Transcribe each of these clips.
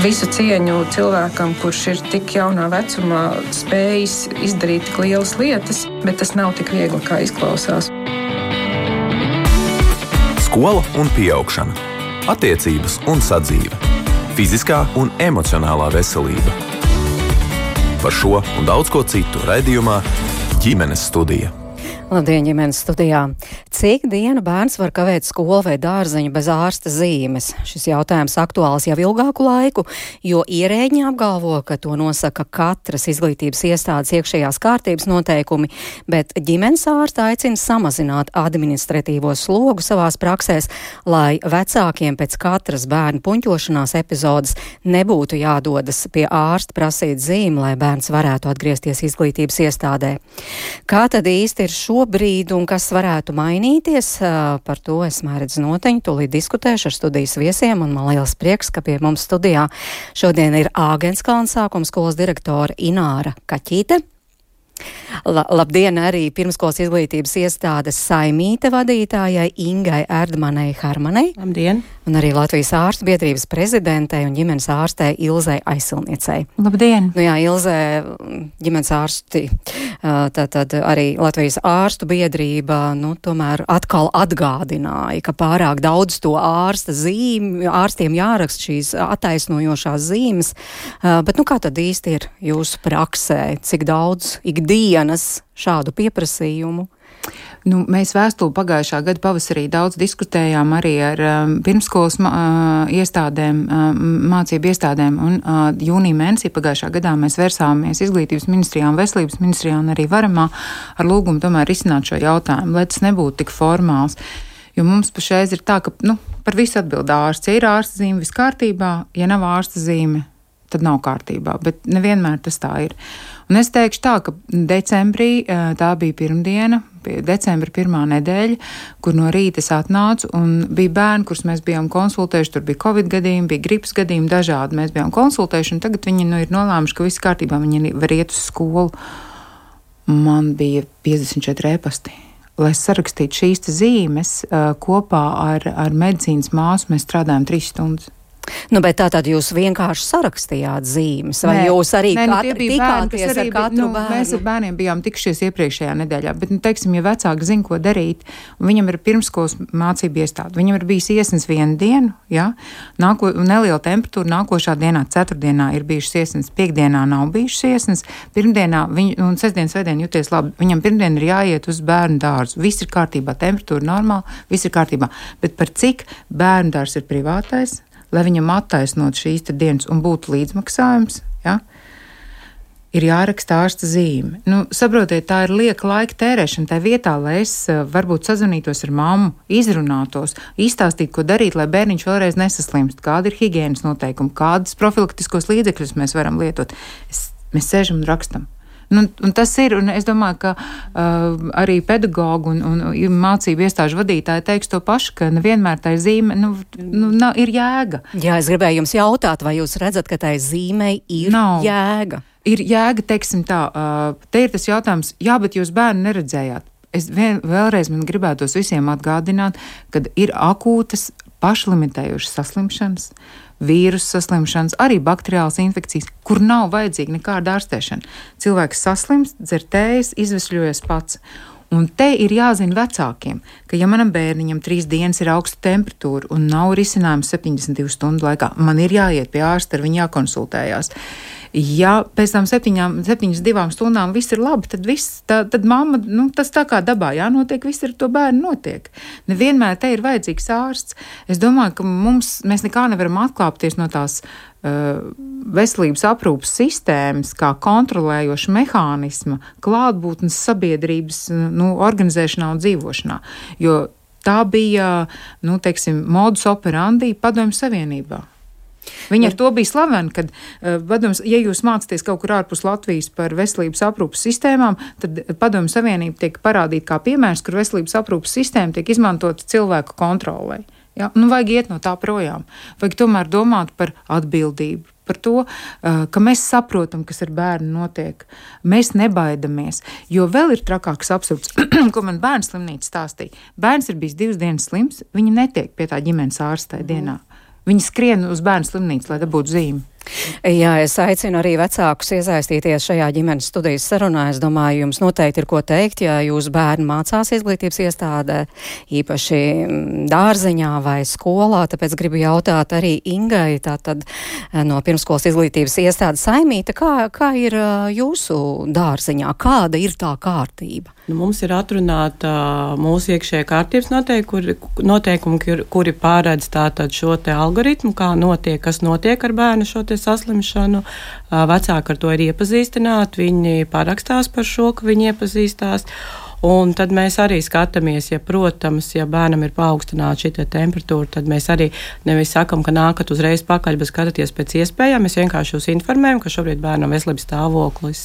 Visu cieņu cilvēkam, kurš ir tik jaunā vecumā spējis izdarīt tik lielas lietas, bet tas nav tik viegli, kā izklausās. Skola un pieaugšana, attiecības un sadzīve, fiziskā un emocionālā veselība. Par šo un daudz ko citu raidījumā Ģimenes studija. Labdien, ģimenes studijā. Cik dienu bērns var kavēt skolu vai dārziņu bez ārsta zīmes? Šis jautājums aktuāls jau ilgāku laiku, jo ierēģi apgalvo, ka to nosaka katras izglītības iestādes iekšējās kārtības noteikumi, bet ģimenes ārsta aicina samazināt administratīvo slogu savās praksēs, lai vecākiem pēc katras bērnu puņķošanās epizodes nebūtu jādodas pie ārsta prasīt zīmi, lai bērns varētu atgriezties izglītības iestādē. Kā tad īsti ir šobrīd un kas varētu mainīties? Par to es Mēredz Noteņu tūlīt diskutēšu ar studijas viesiem, un man liels prieks, ka pie mums studijā šodien ir Āgenskalna sākuma skolas direktore Ināra Kaķīte. Labdien arī pirmskolas izglītības iestādes Saimīte vadītājai Ingai Erdmanei Harmanei. Labdien! Un arī Latvijas ārstu biedrības prezidentei un ģimenes ārstei Ilzei Aizsilniecei. Labdien! Nu jā, Ilze, ģimenes ārsti, tad arī Latvijas ārstu biedrība, tomēr atkal atgādināja, ka pārāk daudz to ārstiem jāraksta šīs attaisnojošās zīmes, bet kā tad īsti ir jūsu praksē, cik daudz ikdienas šādu pieprasījumu? Mēs vēstuli pagājušā gada pavasarī daudz diskutējām arī ar pirmskolas iestādēm, mācību iestādēm, un jūnija mēnesī pagājušā gadā mēs vērsāmies izglītības ministrijā un veselības ministrijā un arī Varamā ar lūgumu tomēr risināt šo jautājumu, lai tas nebūtu tik formāls. Jo mums pašreiz ir tā, ka par visu atbild ārsts. Ja ir ārsta zīme, viss kārtībā, ja nav ārsta zīme, tad nav kārtībā, bet nevienmēr tas tā ir. Un es teikšu tā, ka decembrī, tā bija pirmdiena, decembra pirmā nedēļa, kur no rīta es atnācu un bija bērni, kurus mēs bijām konsultējuši, tur bija Covid gadījumi, bija gripas gadījumi, dažādi mēs bijām konsultējuši, un tagad viņi ir nolēmuši, ka viss kārtībā, viņi var iet uz skolu. Man bija 54 e-pasti. Lai sarakstītu šīs zīmes kopā ar medicīnas māsu, mēs strādājam 3 stundas. Bet tātad jūs vienkārši sarakstījāt zīmes, vai jūs arī tikāties ar katru bērnu? Mēs ar bērniem bijām tikušies iepriekšējā nedēļā, bet, teiksim, ja vecāki zina, ko darīt, un viņam ir pirmskolas mācību iestāde, viņam ir bijis iesnes vienu dienu, neliela temperatūra, nākošā dienā, ceturtdienā ir bijušas iesnes, piekdienā nav bijušas iesnes, pirmdienā, un sestdien, svētdien jūties labi, viņam pirmdien ir jāiet uz bērnu dārzu, viss ir kārtībā, temperatūra normāla, viss ir kārtībā, bet par cik bērnu dārs ir privātais, lai viņam attaisnot šīs dienas un būtu līdzmaksājums, ir jāraksta ārsta zīme. Saprotiet, tā ir lieka laika tērēšana tā vietā, lai es varbūt sazvanītos ar mammu, izrunātos, izstāstītu, ko darīt, lai bērniņš vēlreiz nesaslimst, kāda ir higienas noteikumi, kādas profilaktiskos līdzekļus mēs varam lietot. Mēs sēžam un rakstam. Un tas ir, un es domāju, ka arī pedagogu un mācību iestāžu vadītāji teiks to pašu, ka nevienmēr tā zīme ir jēga. Jā, es gribēju jums jautāt, vai jūs redzat, ka tā zīmei ir jēga? Ir jēga, teiksim tā, te ir tas jautājums, bet jūs bērnu neredzējāt. Es vēlreiz man gribētos visiem atgādināt, kad ir akūtas pašlimitējušas saslimšanas, vīrusu saslimšanas, arī bakteriālas infekcijas, kur nav vajadzīga nekāda ārstēšana. Cilvēks saslimst, dzer tējas, izvesļojas pats. Un te ir jāzina vecākiem, ka ja manam bērniņam 3 dienas ir augsta temperatūra un nav risinājums 72 stundu laikā, man ir jāiet pie ārsta, ar viņu jākonsultējās. Ja pēc tam 72 stundām viss ir labi, tad mamma, tas tā kā dabā jānotiek, viss ar to bērnu notiek. Nevienmēr te ir vajadzīgs ārsts. Es domāju, ka mēs nekā nevaram atklāpties no tās veselības aprūpas sistēmas, kā kontrolējoša mehānisma, klātbūtnes sabiedrības organizēšanā un dzīvošanā. Jo tā bija, modus operandi Padomju Savienībā. Viņi ar to bija slaveni, kad, ja jūs mācāties kaut kur ārpus Latvijas par veselības aprūpas sistēmām, tad Padomju Savienība tiek parādīta kā piemērs, kur veselības aprūpas sistēma tiek izmantota cilvēku kontrolei. Vajag iet no tā projām. Vajag tomēr domāt par atbildību, par to, ka mēs saprotam, kas ar bērnu notiek. Mēs nebaidamies, jo vēl ir trakāks absurds, ko man bērns slimnīca stāstīja. Bērns ir bijis 2 dienas slims, viņi netiek pie tā ģimenes ārstē dienā. Viņi skrien uz bērnu slimnīcu, lai dabūtu zīmi. Jā, es aicinu arī vecākus iesaistīties šajā ģimenes studijas sarunā. Es domāju, jums noteikti ir ko teikt, ja jūsu bērni mācās izglītības iestādē, īpaši dārziņā vai skolā. Tāpēc gribu jautāt arī Ingai, tātad no pirmskolas izglītības iestādes Saimīta, kā ir jūsu dārziņā? Kāda ir tā kārtība? Mums ir atrunāta mūsu iekšējā kārtības noteikumi, kuri pārēdz tātad šo te algoritmu, kas notiek ar bērnu šo te saslimšanu. Vecāki ar to ir iepazīstināti, viņi parakstās par šo, ka viņi iepazīstās. Un tad mēs arī skatāmies, protams, ja bērnam ir paaugstināta šī temperatūra, tad mēs arī nevis sakam, ka nākat uzreiz pakaļ, bet skatāties pēc iespējām. Mēs vienkārši jūs informējam, ka šobrīd bērnam veselības stāvoklis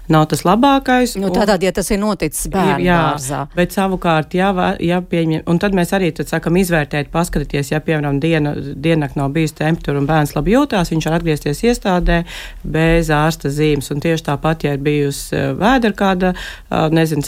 nav tas labākais. Tātad, ja tas ir noticis bērnu dārzā. Bet savukārt, pieņem, un tad mēs arī sakam izvērtēt, paskatīties, ja, piemēram, diennakt nav bijusi temperatūra un bērns labi jūtās, viņš var atgriezties iestādē bez ārsta zīmes. Un tieši tāpat, ja ir bijusi vēdera kāda,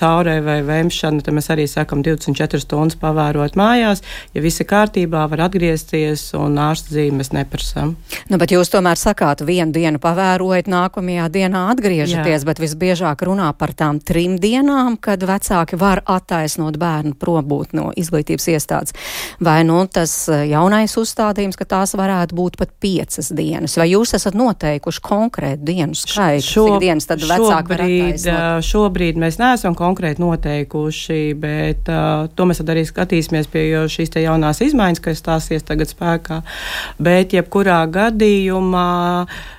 caurē vai vēmšana, tad mēs arī sakam 24 stundas pavērot mājās. Ja viss ir kārtībā, var atgriezties un ārsta zīmes neprasam. Bet jūs tomēr sakāt, vienu dienu pavērojat, nākamajā dienā atgriežaties. Bet visbiežāk runā par tām 3 dienām, kad vecāki var attaisnot bērnu probūt no izglītības iestādes. Vai tas jaunais uzstādījums, ka tās varētu būt pat 5 dienas? Vai jūs esat noteikuši konkrētu dienu skaitu? Cik dienas tad vecāki var attaisnot? Šobrīd mēs neesam konkrēti noteikuši, bet to mēs tad arī skatīsimies pie šīs te jaunās izmaiņas, kas stāsies tagad spēkā. Bet jebkurā gadījumā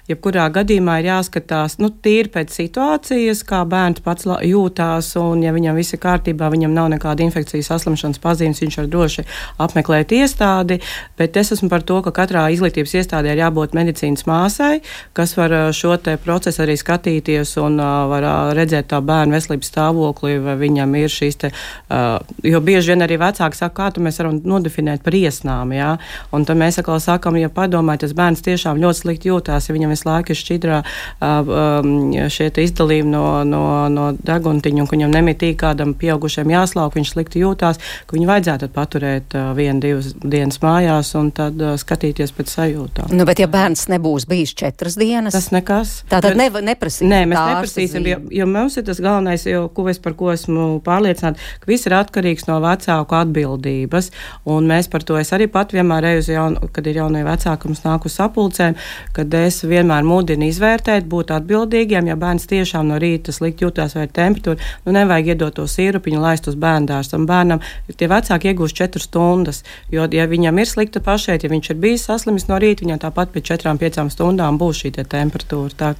ir jāskatās, tīri pēc situācijas, kā bērns pats jūtās, un ja viņam viss ir kārtībā, viņam nav nekāda infekcijas saslimšanas pazīmes, viņš var droši apmeklēt iestādi, bet es esmu par to, ka katrā izglītības iestādē ir jābūt medicīnas māsai, kas var šo te procesu arī skatīties un var redzēt tā bērnu veselības stāvokli, vai viņam ir šīs te, jo bieži vien arī vecāki saka, kā tu mēs varam nodefinēt par iesnām, jā, un tad mēs atkal sakam, ja padomāj, tas bērns tiešām ļoti slikti jūtās, ja viņam visu laiku ir šķidrā šie izdalījumi no deguntiņu, un ka viņam nemitīgi kādam pieaugušiem jāslauk, viņš slikti jūtās, ka viņu vajadzētu paturēt 1-2 dienas mājās un tad skatīties pēc sajūtām. Bet ja bērns nebūs bijis 4 dienas? Tas nekas. Tātad neprasīsim. Nē, mēs neprasīsim, jo mums ir tas galvenais, par ko esmu pārliecināta, ka viss ir atkarīgs no vecāku atbildības, un mēs par to, es arī pat vienmēr kad ir jaunie vecāki, mums nāk uz sapulcēm, kad es vienmēr mudinu izvērtēt, būt atbildīgiem, ja bērns tiešām no rīta slikti jūtās vai temperatūra, nevajag iedot to sīrupiņu, laist uz bērndārstu. Bērnam tie vecāki iegūst 4 stundas, jo, ja viņam ir slikta pašeit, ja viņš ir bijis saslimis no rīta, viņam tāpat pēc 4-5 stundām būs šī temperatūra.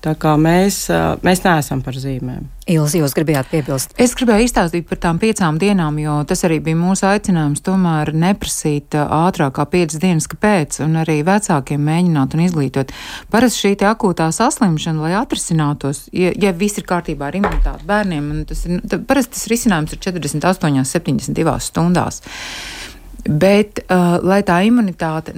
Tā kā mēs neesam par zīmēm. Ilzi, jūs gribējāt piebilst? Es gribēju izstāstīt par tām 5 dienām, jo tas arī bija mūsu aicinājums tomēr neprasīt ātrāk kā 5 dienas, kāpēc, un arī vecākiem mēģināt un izglītot. Parasti šī te akūtā saslimšana, lai atrisinātos, ja viss ir kārtībā ar imunitāti bērniem, parasti tas risinājums ir 48-72 stundās. Bet, lai tā imunitāte,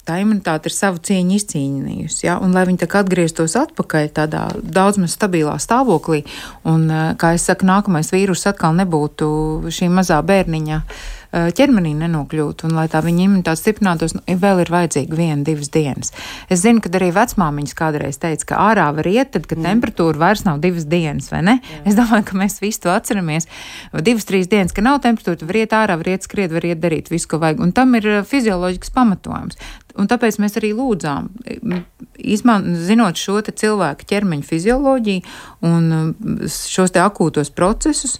tā imunitāte ir savu cieņu izcīnījusi, ja? Un lai viņi tā atgrieztos atpakaļ tādā daudz maz stabilā stāvoklī, un, kā es saku, nākamais vīrus atkal nebūtu šī mazā bērniņa ķermenī nenokļūt, un lai tā viņa imunitāte stiprinātos, vēl ir vajadzīga 1-2 dienas. Es zinu, ka arī vecmāmiņas kādreiz teica, ka ārā var iet, tad, kad temperatūra vairs nav 2 dienas, vai ne? Jā. Es domāju, ka mēs visu to atceramies. 2-3 dienas, ka nav temperatūra, var iet ārā, var iet skriet, var iet darīt visu, ko vajag, un tam ir fizioloģisks pamatojums. Un tāpēc mēs arī lūdzām, zinot šo te cilvēku ķermeņa fizioloģiju un šos te akūtos procesus,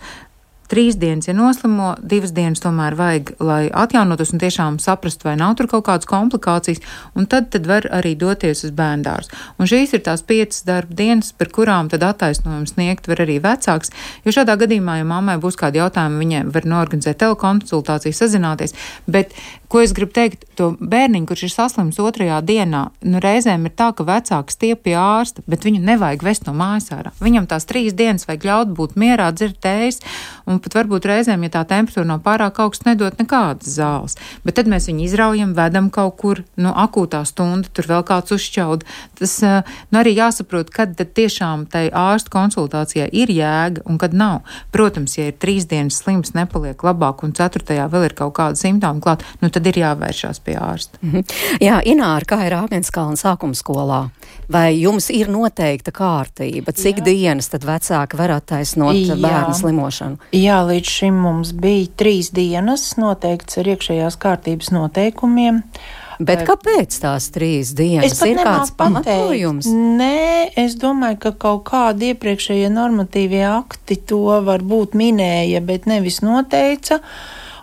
3 dienas, ja noslimo, 2 dienas tomēr vajag, lai atjaunotos un tiešām saprastu, vai nav tur kaut kādas komplikācijas, un tad var arī doties uz bērndārzu. Un šīs ir tās 5 darba dienas, par kurām tad attaisnojums sniegt var arī vecāks, jo šādā gadījumā, ja mammai būs kādi jautājumi, viņai var norganizēt telekonsultāciju, sazināties, bet, ko es gribu teikt, to bērniņu, kurš ir saslims 2. dienā, reizēm ir tā, ka vecāks stiep pie ārsta, bet viņu nevajag vest no mājas ārā. Viņam tās 3 dienas vajag ļaut būt mierā, dzert tējas un un pat varbūt reizēm, ja tā temperatūra nav pārāk augsta, nedot nekādas zāles. Bet tad mēs viņu izraujam, vedam kaut kur, akūtā stunda, tur vēl kāds uzšķaud. Tas arī jāsaprot, kad tad tiešām tai ārsta konsultācijā ir jēga un kad nav. Protams, ja ir 3 dienas slims, nepaliek labāk un 4. vēl ir kaut kāda simptoma klāt, tad ir jāvēršās pie ārsta. Jā, Ināra, kā ir Ābenskalna sākuma skolā? Vai jums ir noteikta kārtība? Cik dienas tad vecāki var attaisnot bērnu slimošanu? Jā, līdz šim mums bija 3 dienas noteikts ar iekšējās kārtības noteikumiem. Bet kāpēc tās 3 dienas? Ir kāds pamatojums? Nē, es domāju, ka kaut kādi iepriekšējie normatīvie akti to varbūt minēja, bet nevis noteica.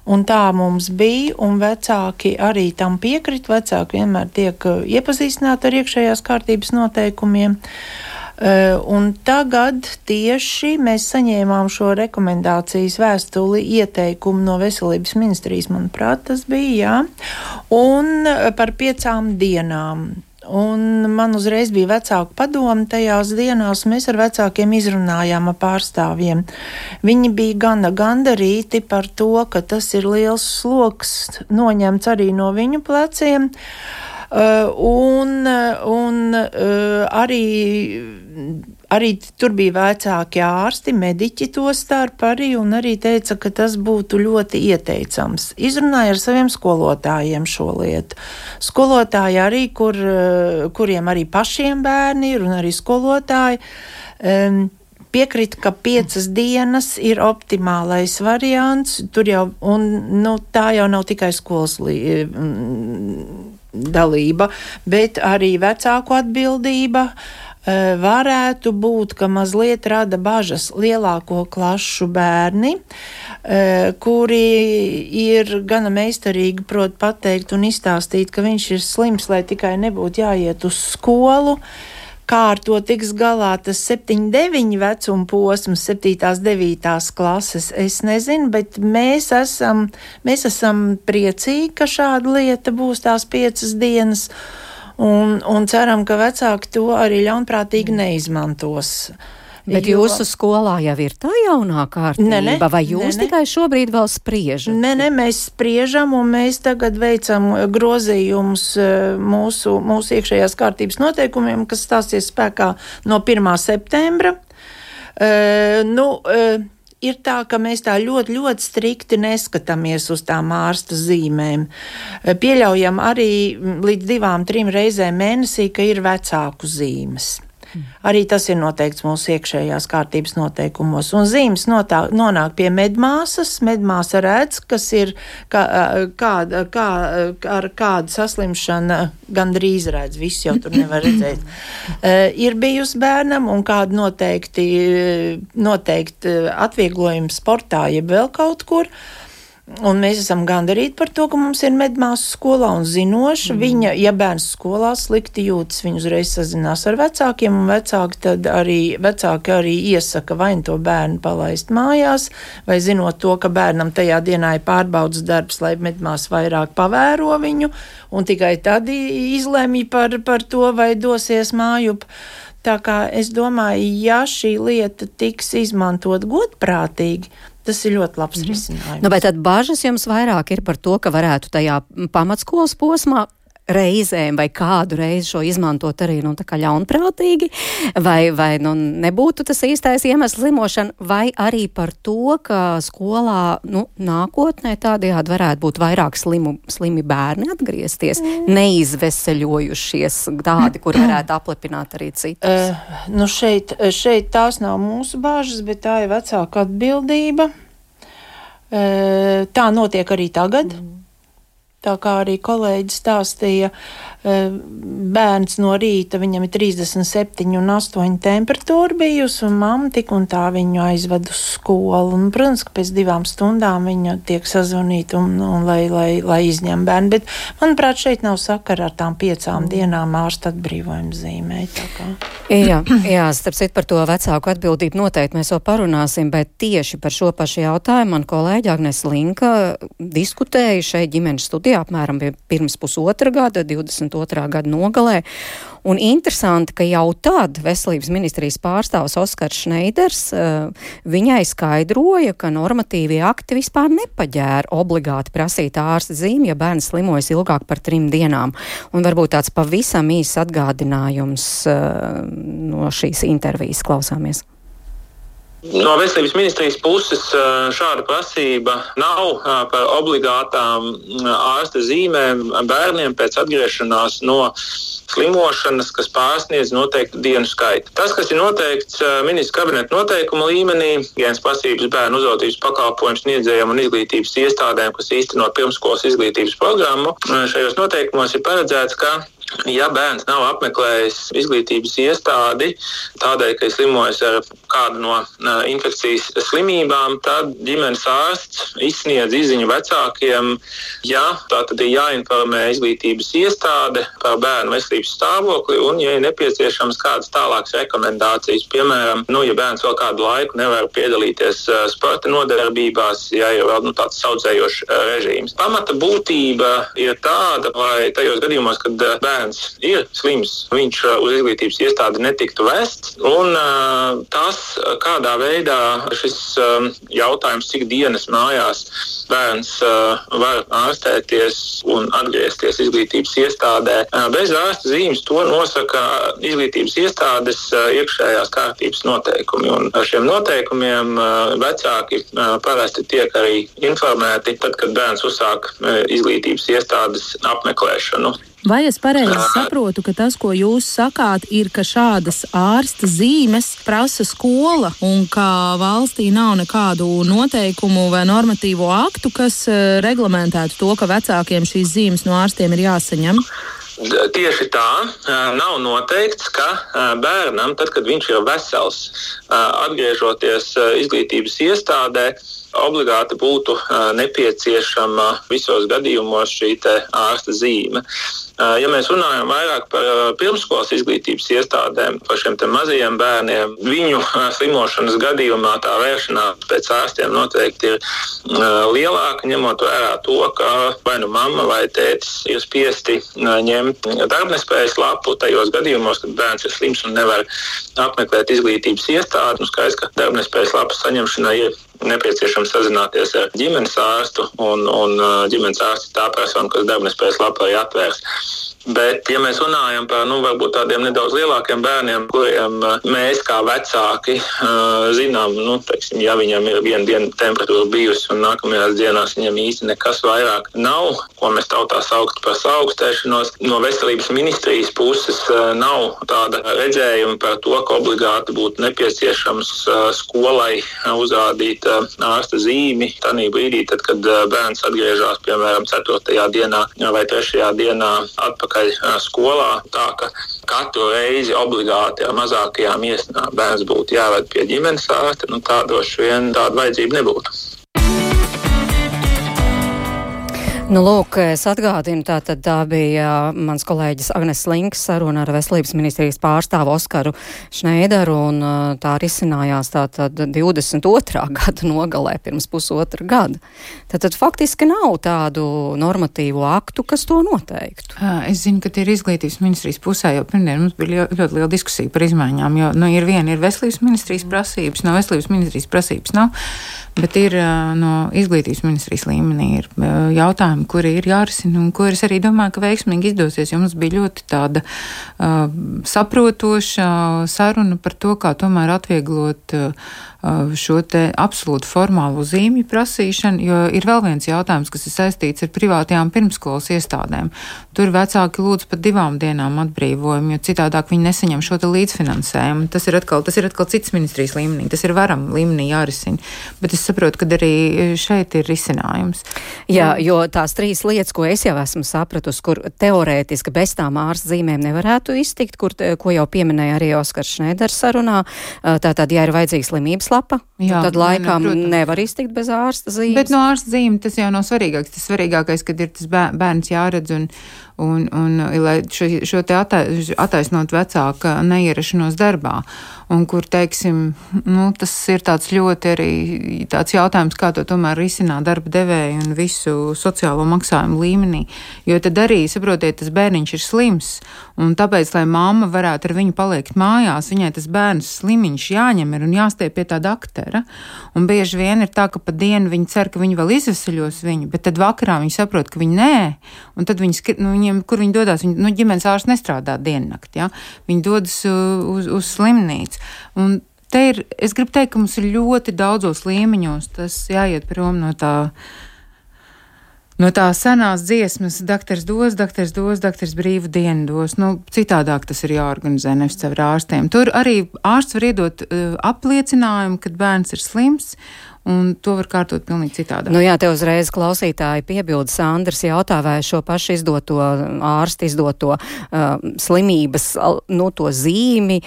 Un tā mums bija, un vecāki arī tam piekrit. Vecāki vienmēr tiek iepazīstināti ar iekšējās kārtības noteikumiem. Un tagad tieši mēs saņēmām šo rekomendācijas vēstuli ieteikumu no Veselības ministrijas, manuprāt, tas bija, jā, un par 5 dienām. Un man uzreiz bija vecāku padomu tajās dienās, mēs ar vecākiem izrunājām ar pārstāvjiem. Viņi bija gana gandarīti par to, ka tas ir liels sloks noņemts arī no viņu pleciem. Un arī tur bija vecāki ārsti, mediķi to starp arī, un arī teica, ka tas būtu ļoti ieteicams. Izrunāja ar saviem skolotājiem šo lietu. Skolotāji arī, kuriem arī pašiem bērni ir, un arī skolotāji piekrita, ka 5 dienas ir optimālais variants. Tur jau, tā jau nav tikai skolas dalība, bet arī vecāku atbildība. Varētu būt, ka mazliet rada bažas lielāko klašu bērni, kuri ir gana meistarīgi prot pateikt un izstāstīt, ka viņš ir slims, lai tikai nebūtu jāiet uz skolu. Kā ar to tiks galā tas 7-9 vecuma posms, 7-9 klases, es nezinu, bet mēs esam priecīgi, ka šāda lieta būs tās 5 dienas, un ceram, ka vecāki to arī ļaunprātīgi neizmantos. Bet jūsu skolā jau ir tā jaunā kārtība, vai jūs tikai šobrīd vēl spriežat? Nē, mēs spriežam, un mēs tagad veicam grozījumus mūsu iekšējās kārtības noteikumiem, kas stāsies spēkā no 1. septembra. Ir tā, ka mēs tā ļoti, ļoti strikti neskatāmies uz tām ārsta zīmēm. Pieļaujam arī līdz 2-3 reizēm mēnesī, ka ir vecāku zīmes. Arī tas ir noteikts mūsu iekšējās kārtības noteikumos. Un zīmes nonāk pie medmāsas. Medmāsa redz, kas ir ar kādu saslimšanu gandrīz redz. Viss jau tur nevar redzēt. Ir bijusi bērnam un kādu noteikti atvieglojumi sportā, jeb vēl kaut kur. Un mēs esam gandarīti par to, ka mums ir medmāsa skolā un zinoša. Viņa, ja bērns skolā slikti jūtas, viņa uzreiz sazinās ar vecākiem, un vecāki arī iesaka vai to bērnu palaist mājās, vai zinot to, ka bērnam tajā dienā ir pārbaudas darbs, lai medmāsa vairāk pavēro viņu, un tikai tad izlemj par to, vai dosies mājup. Tā kā es domāju, ja šī lieta tiks izmantot godprātīgi, tas ir ļoti labs risinājums. Bet tad bažas jums vairāk ir par to, ka varētu tajā pamatskolas posmā reizēm vai kādu reizi šo izmantot arī tā kā ļaunprātīgi, vai nebūtu tas īstais iemesls slimošana, vai arī par to, ka skolā nākotnē tādējādi varētu būt vairāk slimi bērni atgriezties, neizveseļojušies tādi, kur varētu aplepināt arī citus. Šeit tās nav mūsu bāžas, bet tā ir vecāka atbildība. Tā notiek arī tagad. Tā kā arī kolēģis stāstīja, bērns no rīta, viņam ir 37 un 8 temperatūra bijusi, un mamma tik un tā viņu aizved uz skolu. Un, protams, ka pēc 2 stundām viņa tiek sazvanīta un lai izņem bērnu. Bet, manuprāt, šeit nav sakara ar tām 5 dienām ārsta atbrīvojuma zīmē. Jā, starp citu par to vecāku atbildību noteikti mēs vēl parunāsim, bet tieši par šo pašu jautājumu man kolēģi Agnese Linka diskutēja šeit ģimenes studijā apmēram pirms 1,5 gada, 22. 22. gada nogalē. Un interesanti, ka jau tad veselības ministrijas pārstāvs Oskars Šneiders viņai skaidroja, ka normatīvie akti vispār nepaģēra obligāti prasīt ārsta zīmi, ja bērns slimojas ilgāk par 3 dienām. Un varbūt tāds pavisam īsts atgādinājums no šīs intervijas klausāmies. No veselības ministrijas puses šāda prasība nav par obligātām ārsta zīmēm bērniem pēc atgriešanās no slimošanas, kas pārsniedz noteiktu dienu skaitu. Tas, kas ir noteikts ministra kabineta noteikuma līmenī, higienas prasības bērnu uzraudzības pakalpojumu sniedzējiem un izglītības iestādēm, kas īsteno pirmskolas izglītības programmu, šajos noteikumos ir paredzēts, ka ja bērns nav apmeklējis izglītības iestādi tādēļ, ka ir slimojis ar kādu no infekcijas slimībām, tad ģimenes ārsts izsniedz izziņu vecākiem, ja tā tad ir jāinformē izglītības iestāde par bērnu veselības stāvokli un, ja ir nepieciešams kādas tālākas rekomendācijas, piemēram, ja bērns vēl kādu laiku nevar piedalīties sporta nodarbībās, ja ir vēl tāds saudzējošs režīms. Pamata būtība ir tāda, lai tajos gadījumos, kad bērns ir slims, viņš uz izglītības iestādi netiktu vests, un tas, kādā veidā šis jautājums, cik dienas mājās bērns var ārstēties un atgriezties izglītības iestādē bez ārsta zīmes, to nosaka izglītības iestādes iekšējās kārtības noteikumi. Un ar šiem noteikumiem vecāki parasti tiek arī informēti tad, kad bērns uzsāk izglītības iestādes apmeklēšanu. Vai es pareizi saprotu, ka tas, ko jūs sakāt, ir, ka šādas ārsta zīmes prasa skola un ka valstī nav nekādu noteikumu vai normatīvo aktu, kas reglamentētu to, ka vecākiem šīs zīmes no ārstiem ir jāsaņem? Tieši tā, nav noteikts, ka bērnam, tad, kad viņš ir vesels, atgriežoties izglītības iestādē, obligāti būtu nepieciešama visos gadījumos šī te ārsta zīme. Ja mēs runājam vairāk par pirmskolas izglītības iestādēm, par šiem te mazajiem bērniem, viņu slimošanas gadījumā tā vēršanās pēc ārstiem noteikti ir lielāka, ņemot vērā to, ka vai nu mamma vai tētis ir spiesti ņemt darbnespējas lapu tajos gadījumos, kad bērns ir slims un nevar apmeklēt izglītības iestādi. Skaidrs, ka darbnespējas lapas saņemšanai ir nepieciešams sazināties ar ģimenes ārstu, un ģimenes ārsts tā persona, kas darbnespējas lapu arī atvērs. Bet, ja mēs runājam par varbūt tādiem nedaudz lielākiem bērniem, kuriem mēs kā vecāki zinām, teiksim, ja viņam ir viena diena temperatūra bijusi un nākamajās dienās viņam īsti nekas vairāk nav, ko mēs tautā sauktu par saaugstēšanos, no veselības ministrijas puses nav tāda redzējuma par to, ka obligāti būtu nepieciešams skolai uzrādīt ārsta zīmi tanī brīdī, tad, kad bērns atgriežas, piemēram, 4. dienā vai 3. dienā atpakaļ skolā, tā ka katru reizi obligāti ar mazākajām iesnām bērns būtu jāved pie ģimenes ārsta, tādoši vien tāda vajadzība nebūtu. Lūk, es atgādinu, tā bija mans kolēģis Agnes Links saruna ar veselības ministrijas pārstāvu Oskaru Šneideru, un tā risinājās tātad 22. gada nogalē pirms pusotra gada. Tātad faktiski nav tādu normatīvu aktu, kas to noteiktu. Es zinu, ka tie ir izglītības ministrijas pusē, jo pirmdien mums bija ļoti liela diskusija par izmaiņām, jo ir veselības ministrijas prasības, no veselības ministrijas prasības nav, bet ir no izglītības ministrijas līmenī ir jautājumi, kuri ir jārisina un kuras arī domāju, ka veiksmīgi izdosies, jo mums bija ļoti tāda saprotoša saruna par to, kā tomēr atvieglot šo te absolūti formālo zīmju prasīšanu, jo ir vēl viens jautājums, kas ir saistīts ar privātajām pirmskolas iestādēm. Tur vecāki lūdz pat 2 dienām atbrīvojumu, jo citādāk viņi nesaņem šo te līdzfinansējumu. Tas ir atkal cits ministrijas līmenī, tas ir varam līmenī jārisina, bet es saprotu, ka arī šeit ir risinājums. Jā, jo tās 3 lietas, ko es jau esmu sapratusi, kur teorētiski bez tām ārsta zīmēm nevarētu iztikt, ko jau pieminēja arī Oskars Šneiders sarunā, tātad, ja ir vajadzīga slimības lapa, tad laikam nevar iztikt bez ārsta zīmes. Bet no ārsta zīme tas jau nav svarīgāks. Tas svarīgākais, kad ir tas bērns jāredz un lai šo te attaisnot vecāka neierašanos darbā. Un kur, teiksim, tas ir tāds ļoti arī tāds jautājums, kā to tomēr risināt darba devēju un visu sociālo sociālo maksājumu līmenī, jo tad arī, saprotiet, tas bērniņš ir slims, un tāpēc, lai mamma varētu ar viņu palikt mājās, viņai tas bērns slimiņš jāņem ir un jāstiep pie tā daktera, un bieži vien ir tā, ka pa dienu viņi cer, ka viņi vēl izvesaļos viņu, bet tad vakarā viņi saprot, ka viņi nē, un tad viņiem, kur viņi dodās, ģimenes ārsts nestrādā diennakti, ja? Viņi dodas uz slimnīcu, un te ir, es gribu teikt, ka mums ir ļoti daudzos līmeņos, tas jāiet prom no tā senās dziesmas, daktars brīvu dienu dos, citādāk tas ir jāorganizē, nevis caur ārstiem. Tur arī ārsts var iedot apliecinājumu, kad bērns ir slims, un to var kārtot pilnīgi citādāk. Jā, te uzreiz klausītāji piebilda, Sandrs jautā, vai šo pašu ārstu izdoto slimības, to zīmi,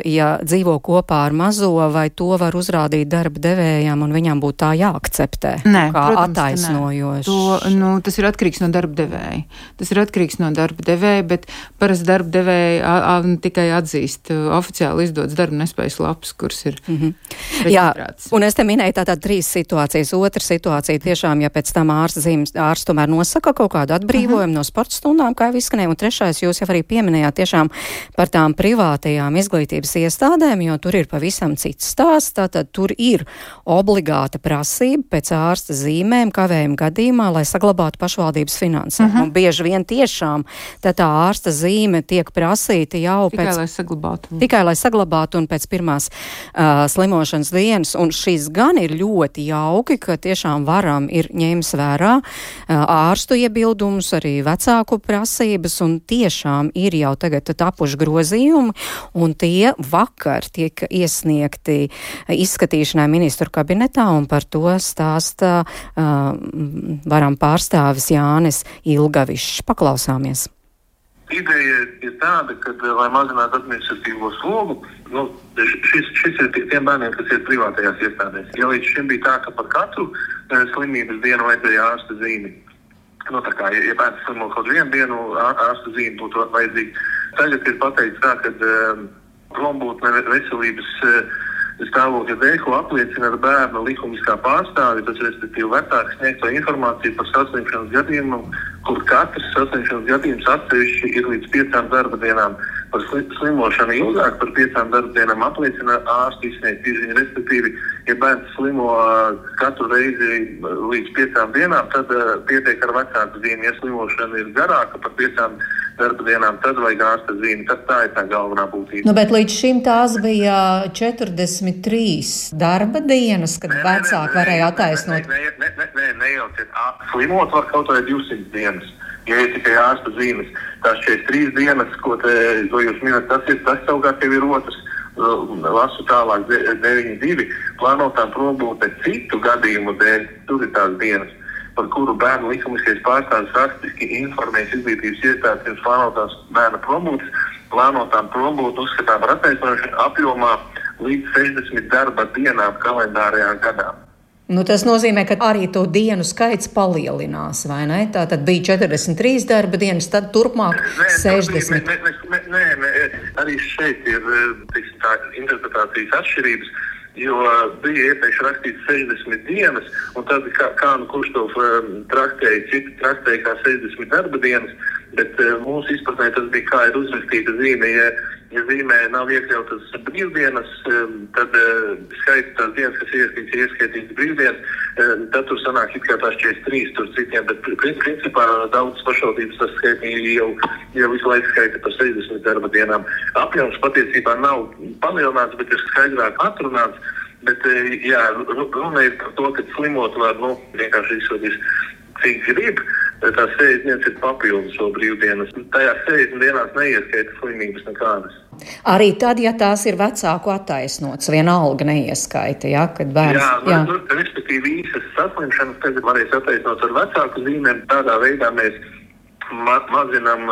ja dzīvo kopā ar mazo, vai to var uzrādīt darba devējām, un viņam būtu tā jāakceptē? Nē, kā protams, attaisnojoši. Tas ir atkarīgs no darba devēja. Bet parasti darba devēja tikai atzīst oficiāli izdots darba nespējas lapas, kuras ir reģistrētas. Jā, un es te minēju tātad 3 situācijas. Otra situācija tiešām, ja pēc tam ārsts tomēr nosaka kaut kādu atbrīvojumu no sporta stundām, kā jau izskanēja, un trešais jūs jau arī pieminējāt tiešām par tām privātajām izglītības iestādēm, jo tur ir pavisam cits stāsts, tātad tur ir obligāta prasība pēc ārsta zīmēm kavējuma gadījumā, lai saglabātu pašvaldības finansējumu. Un bieži vien tiešām tā ārsta zīme tiek prasīta jau tikai lai saglabātu un pēc pirmās slimošanas dienas, un šis gan ir ļoti jauki, ka tiešām varam ir ņēmis vērā ārstu iebildumus, arī vecāku prasības, un tiešām ir jau tagad tapuši grozījumi, un tie vakar tiek iesniegti izskatīšanai ministru kabinetā, un par to stāsta varam pārstāvis Jānis Ilgavišs. Paklausāmies. Ideja ir tāda, ka, lai mazinātu administratīvo slogu, šis ir tiem bērniem, kas ir privātajās iestādēs. Ja līdz šim bija tā, ka par katru slimības dienu vajadzēja ārsta zīmi. Ja bērns slimo kaut vienu dienu, ārsta zīme būtu vajadzīga. Tagad ir pateikts tā, ka prombūtne veselības stāvokļa dēļ, ko apliecina ar bērnu likumiskā pārstāvi, tas respektīvi vecāks sniegto informāciju par saslimšanas gadījumu, kur katrs saslimšanas gadījums atsevišķi ir līdz 5 darba dienām. Par slimošanu ilgāk par 5 darba dienām apliecina ārsti izsniegt izziņu, respektīvi, ja bērns slimo katru reizi līdz 5 dienām, tad pietiek ar vecāku zīmi. Ja slimošana ir garāka par 5 darba dienām, tad vajag ārsta zīmi. Tā ir tā galvenā būtība. Bet līdz šim tās bija 43 darba dienas, kad vecāki varēja attaisnot. Nejauciet. Slimot var kaut vai 200 dienas, ja ir tikai ārsta zīmes. Tās 43 dienas, ko jūs minat, tas savukārt jau ir otrs. Lasu tālāk 9.2. Plānotām probūtē citu gadījumu dēļ, tur ir tās dienas, par kuru bērnu likumiskais pārstāvis rakstiski informēs izglītības iestādes pirms plānotās bērna probūtes. Plānotām probūtu uzskatām par attaisnošanu apjomā līdz 60 darba dienām kalendārajā gadā. Tas nozīmē, ka arī to dienu skaits palielinās, vai ne? Tā tad bija 43 darba dienas, tad turpmāk 60. Nē, arī šeit ir interpretācijas atšķirības, jo bija iepriekš rakstīts 60 dienas, un tad kurš to traktēja, citi traktēja kā 60 darba dienas, bet mūsu izpratnē tas bija kā ir uzrakstīta zīme. Ja zīmē nav iekļautas brīvdienas, tad skaita tās dienas, kas ieskaitītas brīvdienas, tad tur sanāk it kā tās 43, tur citiem, bet principā daudz pašvaldības tas skaitīja jau visu laiku skaita par 60 darba dienām. Apjoms patiesībā nav palielināts, bet ir skaidrāk atrunāts, bet runa ir par to, ka slimot var, vienkārši izsodīs, cik grib, tās 60 dienas ir papildus vēl brīvdienas. Tajās 60 dienās neieskaita slimības nekādas. Arī tad, ja tās ir vecāku attaisnots, vienalga neieskaita, ja, kad bērns... Respektīvi īsas saslimšanas tagad varēs attaisnot ar vecāku zīmēm. Tādā veidā mēs mazinām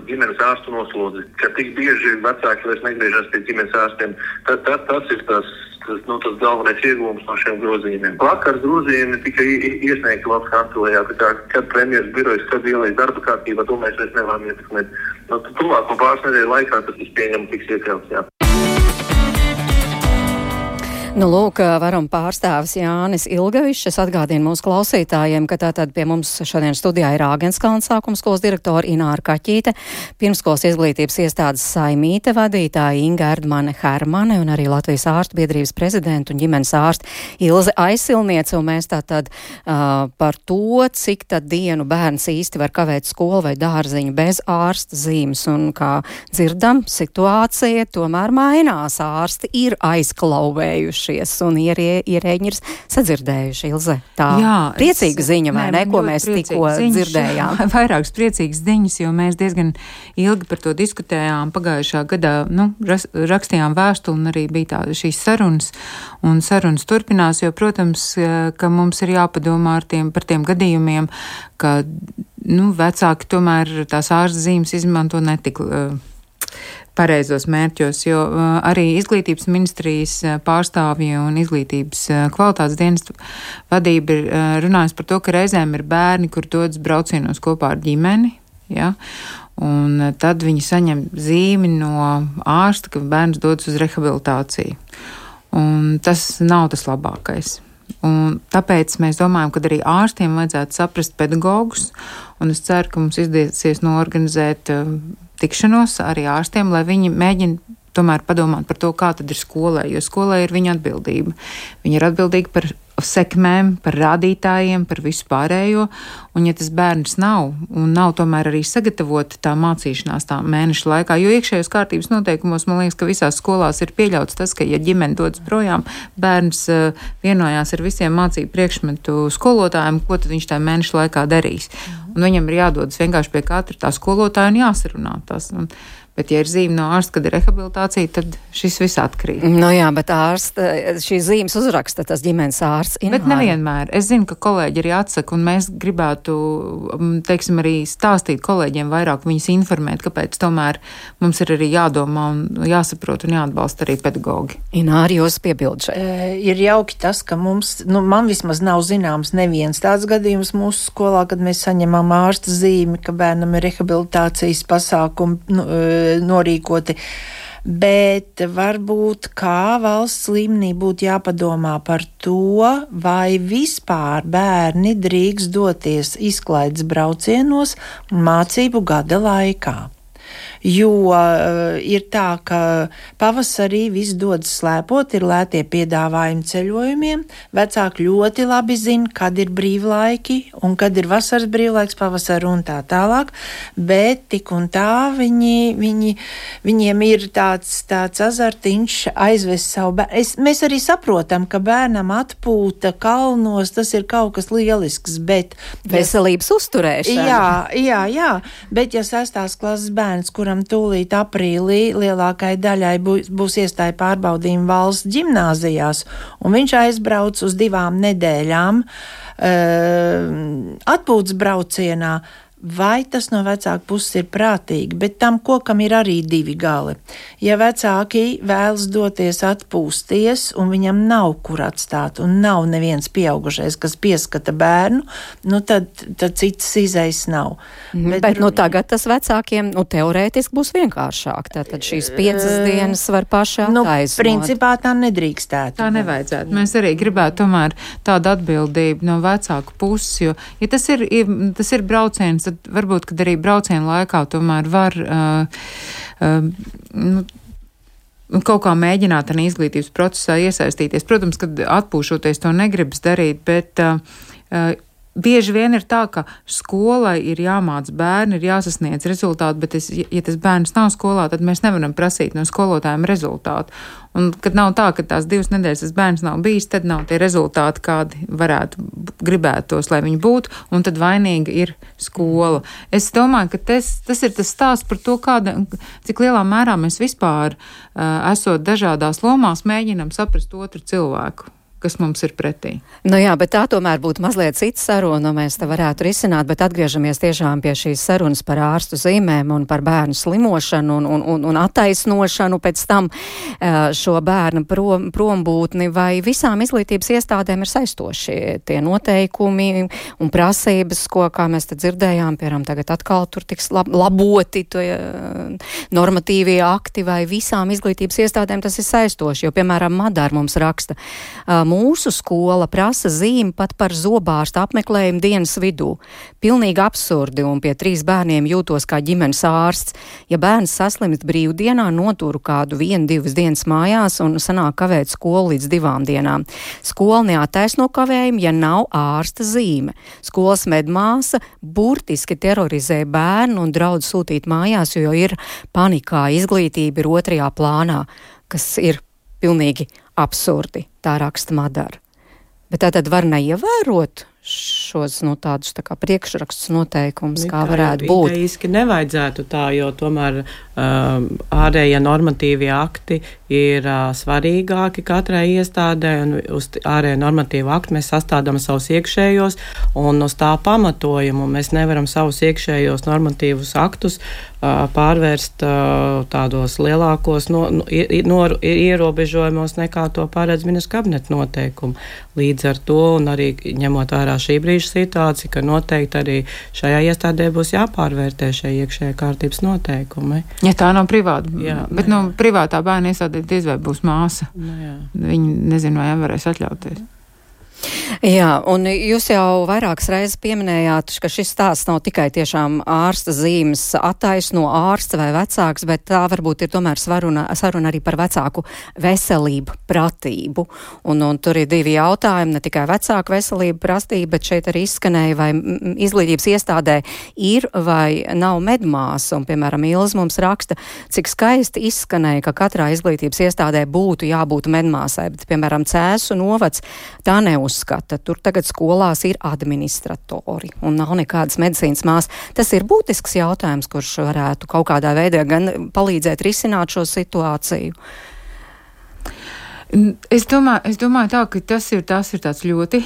ģimenes ārstu noslodzi, ka tik bieži vecāki vairs negriežas pie ģimenes ārstiem. Tas ir tas galvenais iegūms no šiem grozījumiem. Vakar grozījumi tika iesniegti valsts kancelējā, kad premjeras birojas, kad ielaiž darba kārtībā, to mēs vairs nevaram ietekmēt. Tuvāko pāris nedēļu laikā tas pieņem tiks iekļauts, jā. Nu, lūk, varam pārstāvis Jānis Ilgavišs. Es atgādinu mūsu klausītājiem, ka tātad pie mums šodien studijā ir Āgenskalna sākuma skolas direktora Ināra Kaķīte, pirmskolas izglītības iestādes Saimīte vadītāja Inga Erdmane Hermane un arī Latvijas ārstu biedrības prezidenta un ģimenes ārsta Ilze Aizsilniece. Un mēs tātad par to, cik tad dienu bērns īsti var kavēt skolu vai dārziņu bez ārsta zīmes. Un kā dzirdam, situācija tomēr mainās. Ārsti ir aizklauvējuši un ierēģi ir sadzirdējuši, Ilze. Tā priecīga ziņa, vai ne, ko mēs tikko dzirdējām? Vairākas priecīgas ziņas, jo mēs diezgan ilgi par to diskutējām pagājušā gadā, rakstījām vēstuli un arī bija šīs sarunas, un sarunas turpinās, jo, protams, ka mums ir jāpadomā par tiem gadījumiem, ka, vecāki tomēr tās ārsta zīmes izmanto netik pareizos mērķos, jo arī izglītības ministrijas pārstāvji un izglītības kvalitātes dienestu vadība ir runājusi par to, ka reizēm ir bērni, kur dodas braucienos kopā ar ģimeni, ja, un tad viņi saņem zīmi no ārsta, ka bērns dodas uz rehabilitāciju. Un tas nav tas labākais. Un tāpēc mēs domājam, ka arī ārstiem vajadzētu saprast pedagogus, un es ceru, ka mums izdosies noorganizēt tikšanos arī ārstiem, lai viņi mēģina tomēr padomāt par to, kā tad ir skolai, jo skolai ir viņa atbildība. Viņa ir atbildīga par sekmēm, par rādītājiem, par visu pārējo, un ja tas bērns nav tomēr arī sagatavota tā mācīšanās tā mēneša laikā, jo iekšējos kārtības noteikumos, man liekas, ka visās skolās ir pieļauts tas, ka, ja ģimene dodas projām, bērns vienojās ar visiem mācību priekšmetu skolotājiem, ko tad viņš tā mēneša laikā darīs. Un viņam ir jādodas vienkārši pie katra tā skolotāja un jāsarunā tas. Bet, ja ir zīme no ārsta, kad ir rehabilitācija, tad šis viss atkrīt. Jā, bet ārsta, šīs zīmes uzraksta tas ģimenes ārsts. Bet nevienmēr. Es zinu, ka kolēģi arī atsaka, un mēs gribētu, teiksim, arī stāstīt kolēģiem vairāk, viņus informēt, kāpēc tomēr mums ir arī jādomā un jāsaprot un jāatbalsta arī pedagogi. Ināri, jūs piebildu šeit. Ir jauki tas, ka mums, man vismaz nav zināms neviens tāds gadījums mūsu skolā, kad mēs saņemam ārsta zīmi, ka bērnam ir rehabilitācijas pasākumi norīkoti, bet varbūt kā valsts līmenī būtu jāpadomā par to, vai vispār bērni drīkst doties izklaides braucienos mācību gada laikā. Jo ir tā, ka pavasarī viss dodas slēpot, ir lētie piedāvājumi ceļojumiem, vecāki ļoti labi zina, kad ir brīvlaiki un kad ir vasaras brīvlaiks, pavasara un tā tālāk, bet tik un tā viņiem ir tāds azartiņš aizvest savu bērnu. Mēs arī saprotam, ka bērnam atpūta kalnos, tas ir kaut kas lielisks, bet... Veselības uzturēšana. Jā, bet ja 6. klases bērns, kuram tūlīt aprīlī lielākai daļai būs iestāja pārbaudījumi valsts ģimnāzijās, un viņš aizbrauc uz 2 nedēļām atpūtas braucienā, vai tas no vecāku puses ir prātīgi, bet tam kokam ir arī 2 gali. Ja vecāki vēlas doties atpūsties, un viņam nav kur atstāt, un nav neviens pieaugušais, kas pieskata bērnu, tad citas izejas nav. Bet tagad tas vecākiem, teorētiski būs vienkāršāk. Tātad šīs 5 dienas var paši attaisnot. Principā tā nedrīkstētu. Tā nevajadzētu. Mēs arī gribētu tomēr tādu atbildību no vecāku puses, jo, ja tas ir brauciens, tad varbūt, kad arī brauciena laikā tomēr var kaut kā mēģināt arī izglītības procesā iesaistīties. Protams, kad atpūšoties to negribas darīt, bet bieži vien ir tā, ka skolai ir jāmāc bērni, ir jāsasniedz rezultāti, bet ja tas bērns nav skolā, tad mēs nevaram prasīt no skolotājiem rezultātu. Un, kad nav tā, ka tās 2 nedēļas tas bērns nav bijis, tad nav tie rezultāti, kādi gribētos, lai viņi būtu, un tad vainīga ir skola. Es domāju, ka tas ir tas stāsts par to, cik lielā mērā mēs vispār, esot dažādās lomās, mēģinam saprast otru cilvēku. kas mums ir pretī. Nu jā, bet tā tomēr būtu mazliet cita saruna, mēs te varētu risināt, bet atgriežamies tiešām pie šīs sarunas par ārstu zīmēm un par bērnu slimošanu un attaisnošanu pēc tam šo bērnu prombūtni, vai visām izglītības iestādēm ir saistoši tie noteikumi un prasības, ko, kā mēs te dzirdējām, piemēram, tagad atkal tur tiks laboti normatīvie akti, vai visām izglītības iestādēm tas ir saistoši, jo, piemēram, Madara mums raksta, mūsu skola prasa zīmi pat par zobārstu apmeklējumu dienas vidū. Pilnīgi absurdi, un pie 3 bērniem jūtos kā ģimenes ārsts. Ja bērns saslimst brīvdienā, noturu kādu 1-2 dienas mājās un sanāk kavēt skolu līdz 2 dienām. Skola neattaisno kavējumu, ja nav ārsta zīme. Skolas medmāsa burtiski terorizē bērnu un draudz sūtīt mājās, jo ir panikā, izglītība ir 2. plānā, kas ir pilnīgi absurdi, tā raksta Madara. Bet tā tad var neievērot šos tādus tā kā priekšrakstus noteikumus, kā varētu būt. Idejiski nevajadzētu tā, jo tomēr ārējie normatīvie akti ir svarīgāki katrai iestādē, un uz ārējo normatīvu aktu mēs sastādām savus iekšējos, un uz tā pamatojumu mēs nevaram savus iekšējos normatīvus aktus pārvērst tādos lielākos ierobežojumos nekā to paredz ministru kabineta noteikumu. Līdz ar to, un arī ņemot vērā šī brīža situācija, ka noteikti arī šajā iestādē būs jāpārvērtē šie iekšējā kārtības noteikumi. Ja tā nav privāta, bet privātā bērna iestādē diez vai būs māsa. Viņi nezinu, vai varēs atļauties. Jā, un jūs jau vairākas reizes pieminējāt, ka šis stāsts nav tikai tiešām ārsta zīmes attaisno ārsta vai vecāks, bet tā varbūt ir tomēr saruna arī par vecāku veselību, pratību. Un tur ir 2 jautājumi, ne tikai vecāku veselību, pratību, bet šeit arī izskanēja, vai izglītības iestādē ir vai nav medmāsa. Un, piemēram, Ilze mums raksta, cik skaisti izskanēja, ka katrā izglītības iestādē būtu jābūt medmāsai, bet, piemēram, Cēsu novads tā neuzskata. Tur tagad skolās ir administratori un nav nekādas medicīnas māsas. Tas ir būtisks jautājums, kurš varētu kaut kādā veidā gan palīdzēt risināt šo situāciju. Es domāju tā, ka tas ir tāds ļoti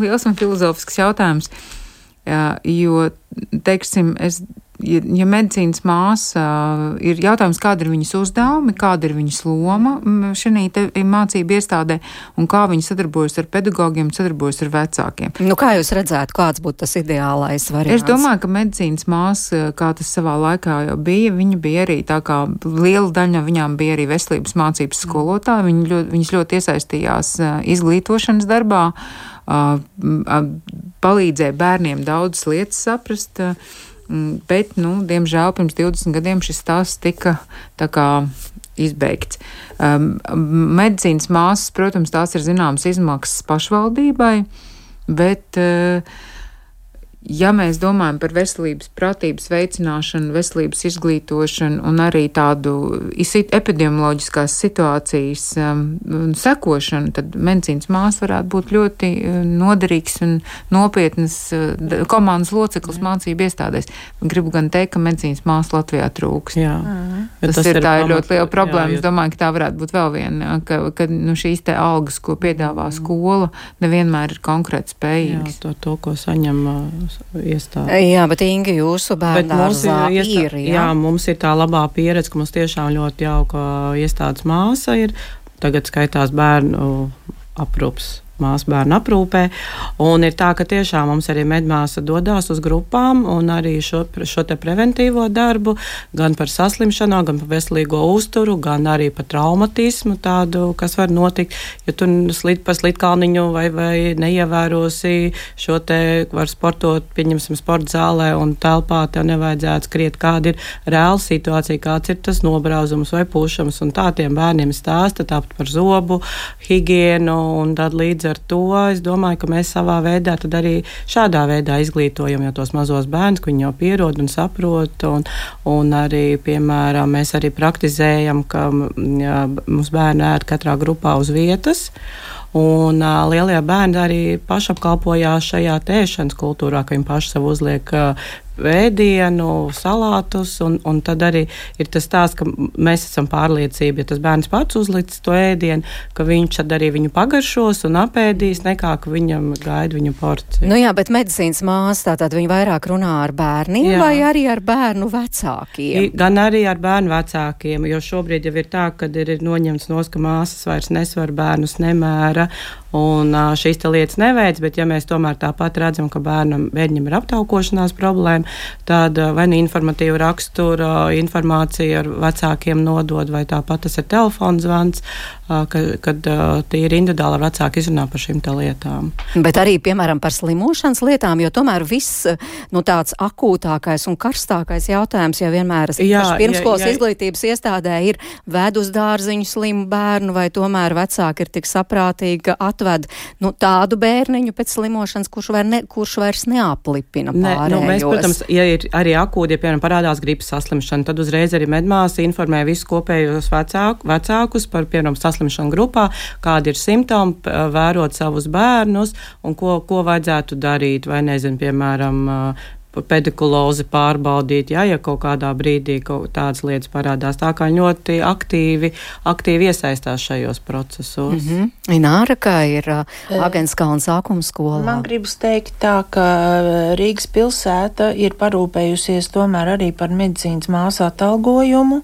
liels un filozofisks jautājums, jo, teiksim, ja medicīnas māsa ir jautājums, kāda ir viņas uzdevumi, kāda ir viņas loma šajā mācību iestādē un kā viņi sadarbojas ar pedagogiem, sadarbojas ar vecākiem. Kā jūs redzētu, kāds būtu tas ideālais variants? Es domāju, ka medicīnas māsa, kā tas savā laikā jau bija, viņa bija arī tā kā liela daļa no viņām bija arī veselības mācības skolotāji, viņas ļoti iesaistījās izglītošanas darbā, palīdzēja bērniem daudzas lietas saprast, bet, diemžēl, pirms 20 gadiem šis stāsts tika tā kā izbeigts. Medicīnas māsas, protams, tās ir zināmas izmaksas pašvaldībai, bet, ja mēs domājam par veselības pratības veicināšanu, veselības izglītošanu un arī tādu epidemioloģiskās situācijas sekošanu, tad medicīnas māsa varētu būt ļoti noderīgs un nopietnas komandas loceklis mācību iestādēs. Gribu gan teikt, ka medicīnas māsa Latvijā trūkst. Tas ir ļoti liela problēma. Es domāju, ka tā varētu būt vēl viena, ka šīs te algas, ko piedāvā skola, nevienmēr ir konkrēti spējīgas. To, ko saņem iestāde. Jā, bet Inga, jūsu bērndārzā ir. Jā, mums ir tā labā pieredze, ka mums tiešām ļoti jauka iestādes māsa ir. Tagad skaitās bērnu aprūps. Māsa bērnu aprūpē, un ir tā, ka tiešām mums arī medmāsa dodās uz grupām un arī šo te preventīvo darbu, gan par saslimšanām, gan par veselīgo uzturu, gan arī par traumatismu tādu, kas var notikt, ja tu pa slitkalniņu vai neievērosi šo te, var sportot, pieņemsim sporta zālē un telpā, tev nevajadzētu skriet, kāda ir reāla situācija, kāds ir tas nobrauzums vai pušams, un tā tiem bērniem stāsta, tāpat par zobu, higienu, un tad līdz ar to es domāju, ka mēs savā veidā tad arī šādā veidā izglītojam jau tos mazos bērnus, ka viņi jau pierod un saprot, un arī, piemēram, mēs arī praktizējam, ka mums bērni ēd katrā grupā uz vietas, un lielie bērni arī pašapkalpojās šajā ēšanas kultūrā, ka viņi paši sev uzliek ēdienu, salātus, un tad arī ir tas tās, ka mēs esam pārliecība, ja tas bērns pats uzlicis to ēdienu, ka viņš tad arī viņu pagaršos un apēdīs, nekā ka viņam gaida viņu porciju. Nu jā, bet medicīnas māsa, tātad viņi vairāk runā ar bērniem vai arī ar bērnu vecākiem? Gan arī ar bērnu vecākiem, jo šobrīd jau ir tā, ka ir noņemts nos, ka māsas vairs nesvar, bērnus nemēra, un šīs lietas neveic, bet ja mēs tomēr tāpat redzam, ka bērnam ir aptaukošanās problēma, tad vai ne informatīva rakstura informācija ar vecākiem nodod, vai tāpat tas ir telefona zvans, kad tie ir individuāli vecāki izrunā par šīm lietām. Bet arī, piemēram, par slimošanas lietām, jo tomēr viss tāds akūtākais un karstākais jautājums jau vienmēr pirmskolas izglītības iestādē ir ved uz dārziņu slimu bērnu, vai tomēr vecāki ir tik saprātīgi, ka atved tādu bērniņu pēc slimošanas, kurš vairs neaplipina pārējos. Mēs, protams, ja ir arī akūti, ja piemēram parādās gripas saslimšana, tad uzreiz arī medmāsa informē visus kopējos vecākus par, piemēram, saslimšanu grupā, kādi ir simptomi, vērot savus bērnus un ko vajadzētu darīt, vai nezinu, piemēram, pedikulozi pārbaudīt, ja kaut kādā brīdī tādas lietas parādās. Tā kā ļoti aktīvi iesaistās šajos procesos. Ināra, kā ir Agenskalna sākuma skolā? Man gribas teikt tā, ka Rīgas pilsēta ir parūpējusies tomēr arī par medicīnas māsu atalgojumu.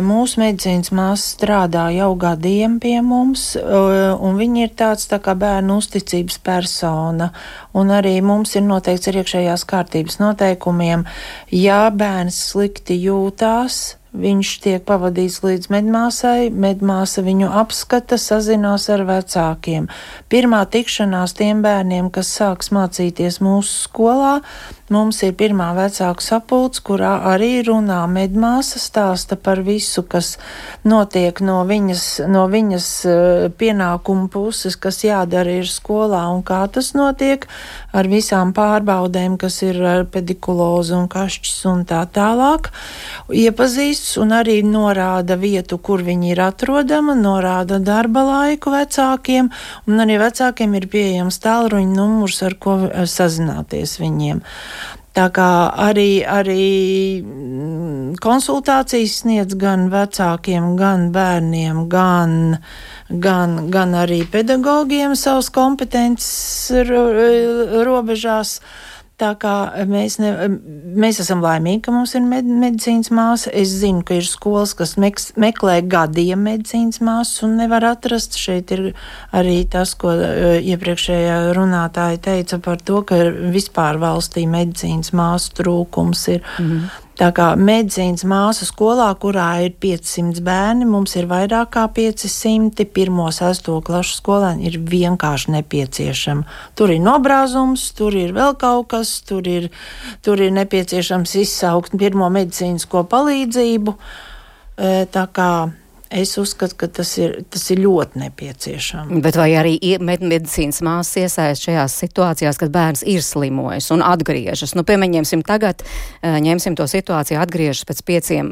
Mūsu medicīnas māsa strādā jau gadiem pie mums, un viņi ir tāds tā kā bērnu uzticības persona, un arī mums ir noteikts ar iekšējās kārtības noteikumiem, ja bērns slikti jūtās, viņš tiek pavadīts līdz medmāsai, medmāsa viņu apskata, sazinās ar vecākiem. Pirmā tikšanās tiem bērniem, kas sāks mācīties mūsu skolā, mums ir pirmā vecāku sapulce, kurā arī runā medmāsa, stāsta par visu, kas notiek no viņas pienākumu puses, kas jādara ir skolā un kā tas notiek, ar visām pārbaudēm, kas ir ar pedikulozu un kašķis un tā tālāk. Iepazīst un arī norāda vietu, kur viņi ir atrodama, norāda darba laiku vecākiem, un arī vecākiem ir pieejams tālruņa numurs, ar ko sazināties viņiem. Tā kā arī konsultācijas sniedz gan vecākiem, gan bērniem, gan arī pedagogiem savas kompetences robežās. Tā kā mēs esam laimīgi, ka mums ir medicīnas māsa. Es zinu, ka ir skolas, kas meklē gadiem medicīnas māsas un nevar atrast. Šeit ir arī tas, ko iepriekšējā runātāja teica par to, ka vispār valstī medicīnas māsu trūkums ir. Tā kā medicīnas māsa skolā, kurā ir 500 bērni, mums ir vairāk kā 500, 1.6. klašu skolēni ir vienkārši nepieciešama. Tur ir nobrāzums, tur ir vēl kaut kas, tur ir nepieciešams izsaukt pirmo medicīnisko palīdzību. Tā kā es uzskatu, ka tas ir ļoti nepieciešams. Bet vai arī medicīnas māsas iesaist šajās situācijās, kad bērns ir slimojis un atgriežas? Piemēram, tagad ņemsim to situāciju, atgriežas pēc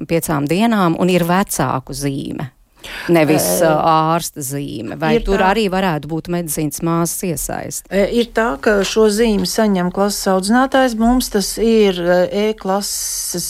5 dienām un ir vecāku zīme. Nevis ārsta zīme. Vai tur arī varētu būt medicīnas māsas iesaist? Ir tā, ka šo zīmi saņem klases audzinātājs. Mums tas ir e-klases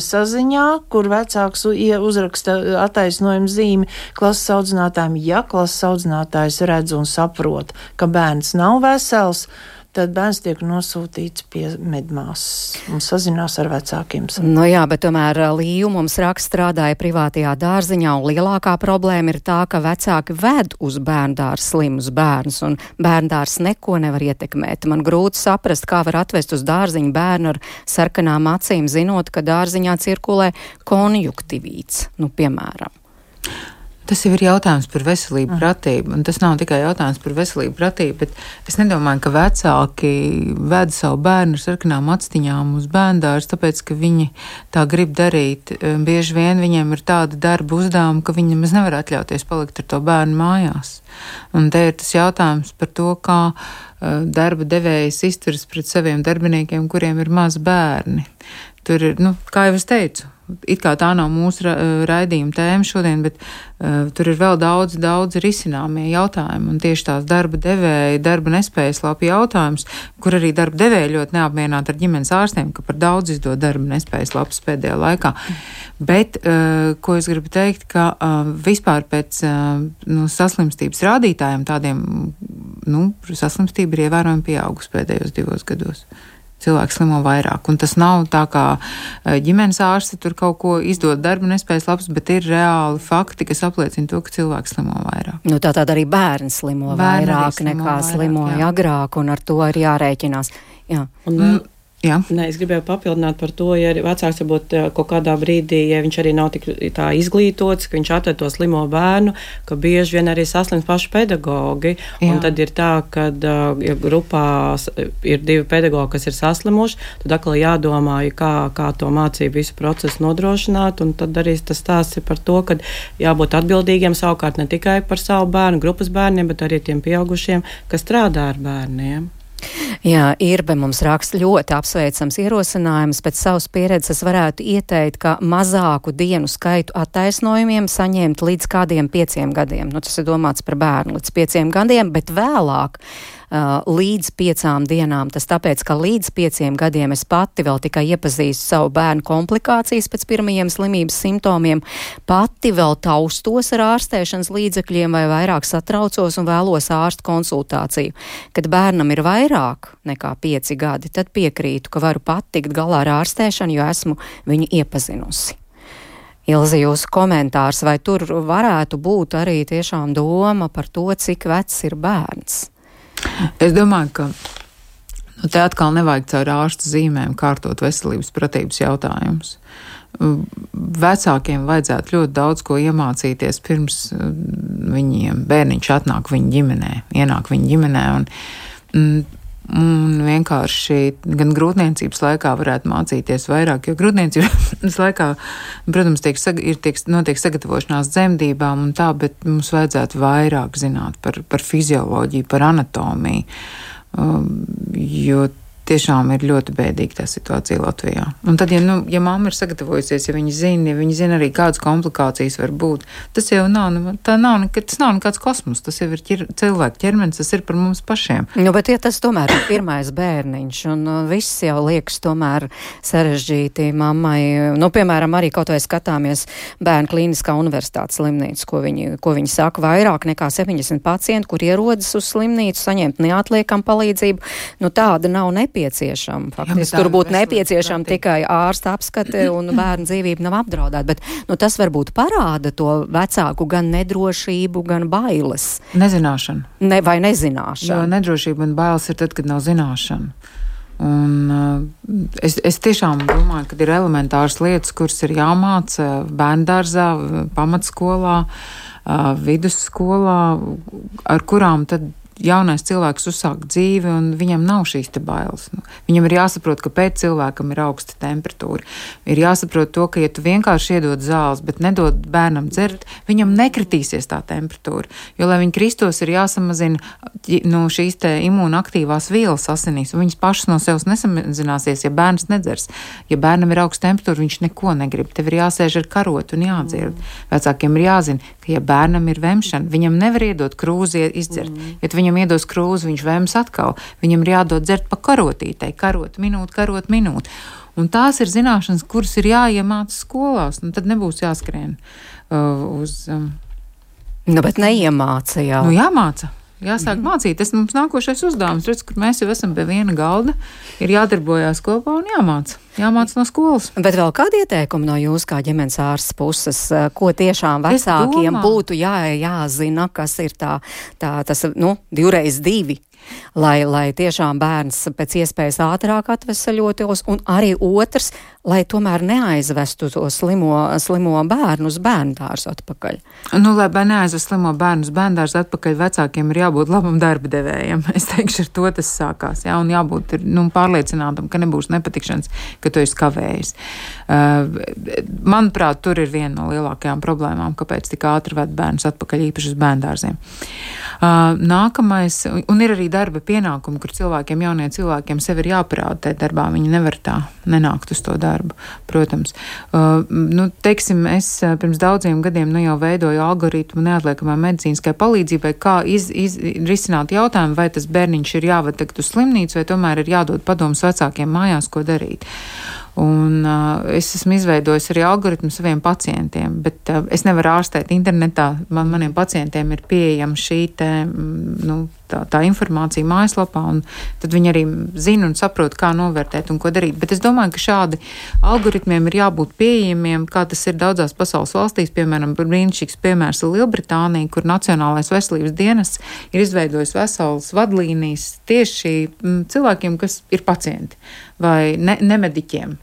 saziņā, kur vecāks uzraksta attaisnojumu zīmi klases audzinātājiem. Ja klases audzinātājs redz un saprot, ka bērns nav vesels, tad bērns tiek nosūtīts pie medmāsas un sazinās ar vecākiem. Jā, bet tomēr Līju mums strādāja privātajā dārziņā, un lielākā problēma ir tā, ka vecāki ved uz bērndārs slimus bērnus, un bērndārs neko nevar ietekmēt. Man grūti saprast, kā var atvest uz dārziņu bērnu ar sarkanām acīm, zinot, ka dārziņā cirkulē konjuktivīts, piemēram. Tas jau ir jautājums par veselību pratību, un tas nav tikai jautājums par veselību pratību, bet es nedomāju, ka vecāki ved savu bērnu ar sarkanām actiņām uz bērndārs, tāpēc, ka viņi tā grib darīt. Bieži vien viņiem ir tāda darba uzdevuma, ka viņi nemaz nevar atļauties palikt ar to bērnu mājās. Un te ir tas jautājums par to, kā darba devējs izturas pret saviem darbiniekiem, kuriem ir mazi bērni. Tur ir, kā jau es teicu, it kā tā nav mūsu raidījuma tēma šodien, bet tur ir vēl daudz risināmie jautājumi, un tieši tās darba devēja, darba nespējas lapu jautājums, kur arī darba devēja ļoti neapmierināti ar ģimenes ārstiem, ka par daudz izdod darba nespējas lapas pēdējā laikā. Bet, ko es gribu teikt, ka vispār pēc saslimstības rādītājiem tādiem, saslimstība ir ievērojami pieaugusi pēdējos 2 gados. Cilvēki slimo vairāk, un tas nav tā kā ģimenes ārsti tur kaut ko izdod darba nespējas labs, bet ir reāli fakti, kas apliecina to, ka cilvēki slimo vairāk. Tātad arī bērni slimo vairāk nekā slimoja agrāk, un ar to ir jārēķinās. Jā. Jā. Nē, es gribēju papildināt par to, ja vecāks varbūt kaut kādā brīdī, ja viņš arī nav tik tā izglītots, ka viņš atved to slimo bērnu, ka bieži vien arī saslims paši pedagogi. Jā. Un tad ir tā, ka ja grupā ir 2 pedagogi, kas ir saslimuši, tad atkal jādomā, kā to mācību visu procesu nodrošināt, un tad arī tas stāsts ir par to, ka jābūt atbildīgiem savukārt ne tikai par savu bērnu, grupas bērniem, bet arī tiem pieaugušiem, kas strādā ar bērniem. Jā, Irbe mums raksta ļoti apsveicams ierosinājums. Pēc savas pieredzes varētu ieteikt, ka mazāku dienu skaitu attaisnojumiem saņemt līdz kādiem 5 gadiem. Tas ir domāts par bērnu līdz 5 gadiem, bet vēlāk līdz 5 dienām. Tas tāpēc, ka līdz 5 gadiem es pati vēl tikai iepazīstu savu bērnu komplikācijas pēc pirmajiem slimības simptomiem, pati vēl taustos ar ārstēšanas līdzekļiem vai vairāk satraucos un vēlos ārstu konsultāciju. Kad bērnam ir vairāk nekā 5 gadi, tad piekrītu, ka varu pat tikt galā ar ārstēšanu, jo esmu viņu iepazinusi. Ilze, jūsu komentārs, vai tur varētu būt arī tiešām doma par to, cik vecs ir bērns? Es domāju, ka te atkal nevajag caur ārstu zīmēm kārtot veselības pratības jautājumus. Vecākiem vajadzētu ļoti daudz ko iemācīties pirms bērniņš atnāk viņa ģimenē, ienāk viņa ģimenē un vienkārši gan grūtniecības laikā varētu mācīties vairāk, jo grūtniecības laikā, protams, notiek sagatavošanās dzemdībām un tā, bet mums vajadzētu vairāk zināt par fizioloģiju, par anatomiju, jo tiešām ir ļoti bēdīga tā situācija Latvijā. Un tad, ja mamma ir sagatavojusies, ja viņa zina arī kādas komplikācijas var būt, tas jau nav nekāds kosmos, tas jau ir cilvēka ķermenis, tas ir par mums pašiem. Bet ja tas tomēr ir pirmais bērniņš, un viss jau liekas tomēr sarežģīti mammai, piemēram, arī kaut vai skatāmies Bērnu klīniskā universitātes slimnīcu, ko viņi saka, vairāk nekā 70 pacienti, kur ierodas uz slimnīcu, saņemt neatliekam palīdzību, tāda nav nepieciešama. Faktiski tur būtu nepieciešama tikai ārsta apskate un bērnu dzīvība nav apdraudēta, bet tas varbūt parāda to vecāku gan nedrošību, gan bailes. Nezināšana. Vai nezināšana. Jo nedrošība un bailes ir tad, kad nav zināšana. Un es tiešām domāju, ka ir elementāras lietas, kuras ir jāmāca bērndārzā, pamatskolā, vidusskolā, ar kurām tad jaunais cilvēks uzsāk dzīvi un viņam nav šīs te bailes. Viņam ir jāsaprot, ka pēc cilvēkam ir augsta temperatūra. Ir jāsaprot to, ka ja tu vienkārši iedod zāles, bet nedod bērnam dzert, viņam nekritīsies tā temperatūra. Jo, lai viņi kristos, ir jāsamazina šīs te imūnaktīvās vielas asinīs, un viņas pašas no sevis nesamazināsies, ja bērns nedzers. Ja bērnam ir augsta temperatūra, viņš neko negrib. Tev ir jāsēž ar karotu un jādzird. Vecākiem ir jāzina, ka ja bērnam ir vemšana, viņam nevar iedot krūzi izdzert. Ja viņam iedos krūzi, viņš vēms atkal. Viņam ir jādod dzert pa karotītei, karot minūti. Un tās ir zināšanas, kuras ir jāiemāca skolās, un tad nebūs jāskrien uz... Bet neiemāca jau. Jāmāca. Jāsāk mācīt. Tas mums nākošais uzdevums. Redz, kur mēs jau esam pie viena galda, ir jādarbojās kopā un jāmāca. Jāmāca no skolas. Bet vēl kādi ieteikumi no jūs kā ģimenes ārstes puses, ko tiešām vecākiem būtu jāzina, kas ir tas 2x2? Lai tiešām bērns pēc iespējas ātrāk atvesaļotos, un arī otrs, lai tomēr neaizvestu to slimo bērnu uz bērndārzu atpakaļ. Lai neaizvest slimo bērnu uz bērndārzu atpakaļ, vecākiem ir jābūt labam darba devējam. Es teikšu, ar to tas sākās, un jābūt pārliecinātam, ka nebūs nepatikšanas, ka tu esi kavējis. Manuprāt, tur ir viena no lielākajām problēmām, kāpēc tik ātri ved bērnus atpakaļ īpaši uz bērndārziem. Nākamais, un ir arī darba pienākumi, kur jauniem cilvēkiem sev ir jāparāda tajā darbā. Viņi nevar tā nenākt uz to darbu, protams. Teiksim, es pirms daudziem gadiem jau veidoju algoritmu neatliekamai medicīniskai palīdzībai, kā risināt jautājumu, vai tas bērniņš ir jāved tagad uz slimnīcu, vai tomēr ir jādod padomus vecākiem mājās, ko darīt. Un es esmu izveidojis arī algoritmu saviem pacientiem, bet es nevaru ārstēt internetā. Maniem pacientiem ir pieejama šī tā informācija mājaslapā, un tad viņi arī zina un saprot, kā novērtēt un ko darīt. Bet es domāju, ka šādi algoritmiem ir jābūt pieejamiem, kā tas ir daudzās pasaules valstīs, piemēram, brīnišķīgs piemērs ir Lielbritānija, kur Nacionālais veselības dienests ir izveidojis veselas vadlīnijas tieši cilvēkiem, kas ir pacienti vai nemediķiem,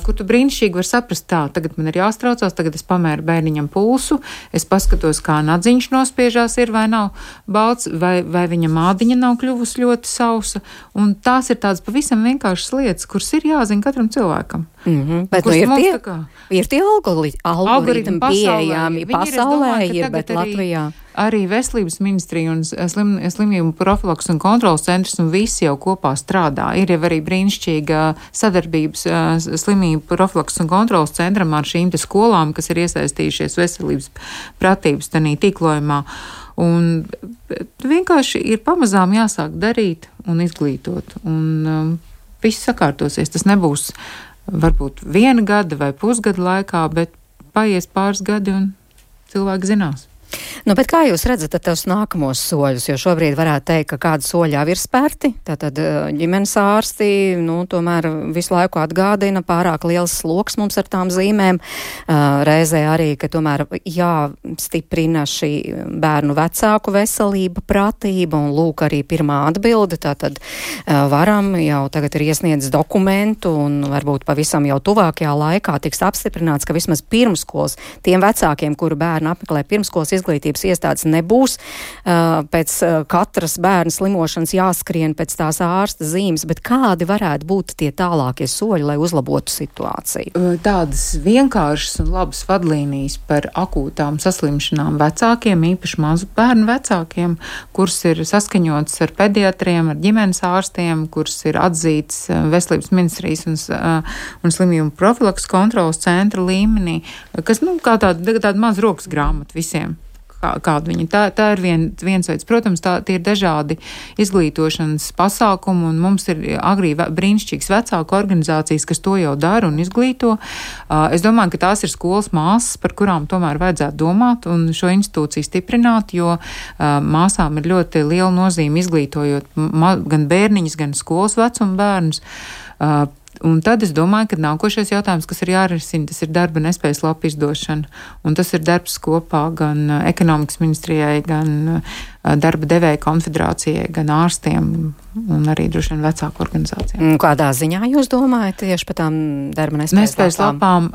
kur tu brīnišķīgi var saprast tā, tagad man ir jāstraucās, tagad es pamēru bērniņam pulsu, es paskatos, kā nadziņš nospiežās ir vai nav balts, vai viņa mādiņa nav kļuvusi ļoti sausa, un tās ir tādas pavisam vienkāršas lietas, kuras ir jāzina katram cilvēkam. Bet ir tie algoritmi pieejami pasaulē, bet Latvijā. Arī Veselības ministrija un slimību profilaks un kontrolas centrs un visi jau kopā strādā. Ir jau arī brīnišķīga sadarbības slimību profilaks un kontrolas centram ar šīm te skolām, kas ir iesaistījušies veselības pratības tanī tīklojumā. Un vienkārši ir pamazām jāsāk darīt un izglītot. Un viss sakārtosies. Tas nebūs varbūt 1 gada vai pusgada laikā, bet paies pāris gadi un cilvēki zinās. Bet kā jūs redzat tos nākamos soļus, jo šobrīd varētu teikt, ka kādi soļi jau ir spērti, tātad ģimenes ārsti, tomēr visu laiku atgādina pārāk liels sloks mums ar tām zīmēm, reizē arī, ka tomēr jāstiprina šī bērnu vecāku veselība, pratība, un lūk arī pirmā atbilde, tātad varam jau tagad ir iesniedz dokumentu, un varbūt pavisam jau tuvākajā laikā tiks apstiprināts, ka vismaz pirmskolas tiem vecākiem, kuru bērni apmeklē pirmskolas izglītības iestādes nebūs. Pēc katras bērna slimošanas jāskrien pēc tās ārsta zīmes, bet kādi varētu būt tie tālākie soļi, lai uzlabotu situāciju? Tādas vienkāršas un labas vadlīnijas par akūtām saslimšanām vecākiem, īpaši mazu bērnu vecākiem, kuras ir saskaņotas ar pediatriem, ar ģimenes ārstiem, kuras ir atzītas Veselības ministrijas un slimību profilaks kontrolas centra līmenī, kas, kā tāda maz rokas grāmata visiem. Kādu viņi. Tā ir viens veids. Protams, tie ir dažādi izglītošanas pasākumi, un mums ir agrī brīnišķīgas vecāku organizācijas, kas to jau dara un izglīto. Es domāju, ka tās ir skolas māsas, par kurām tomēr vajadzētu domāt un šo institūciju stiprināt, jo māsām ir ļoti liela nozīme izglītojot gan bērniņus, gan skolas vecuma bērnus. Un tad es domāju, ka nākošais jautājums, kas ir jārisina, tas ir darba nespējas lapu izdošana. Un tas ir darbs kopā gan ekonomikas ministrijai, gan darba devēja konfederācijai, gan ārstiem un arī droši vien vecāku organizācijām. Kādā ziņā jūs domājat tieši par tām darba nespējas lapām?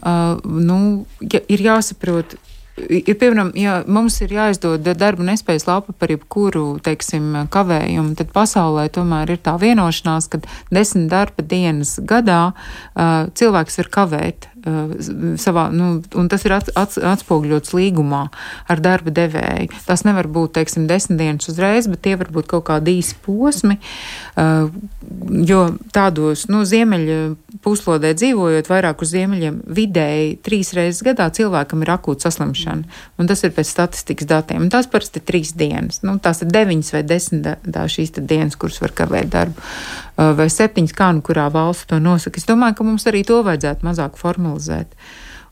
Ir jāsaprot. Piemēram, ja mums ir jāizdod darba nespējas lapa par jebkuru, kavējumu, tad pasaulē tomēr ir tā vienošanās, ka 10 darba dienas gadā cilvēks var kavēt savā, un tas ir atspoguļots līgumā ar darba devēju. Tas nevar būt, 10 dienas uzreiz, bet tie var būt kaut kādi īsi posmi, jo tādos, ziemeļa puslodē dzīvojot vairāk uz ziemeļiem, vidēji 3 reizes gadā cilvēkam ir akūta saslimšana, un tas ir pēc statistikas datiem, un tās parasti ir 3 dienas, tās ir 9 vai 10 šīs dienas, kuras var kavēt darbu, vai 7, kā kurā valsts to nosaka. Es domāju, ka mums arī to vajadzētu mazāk formalizēt.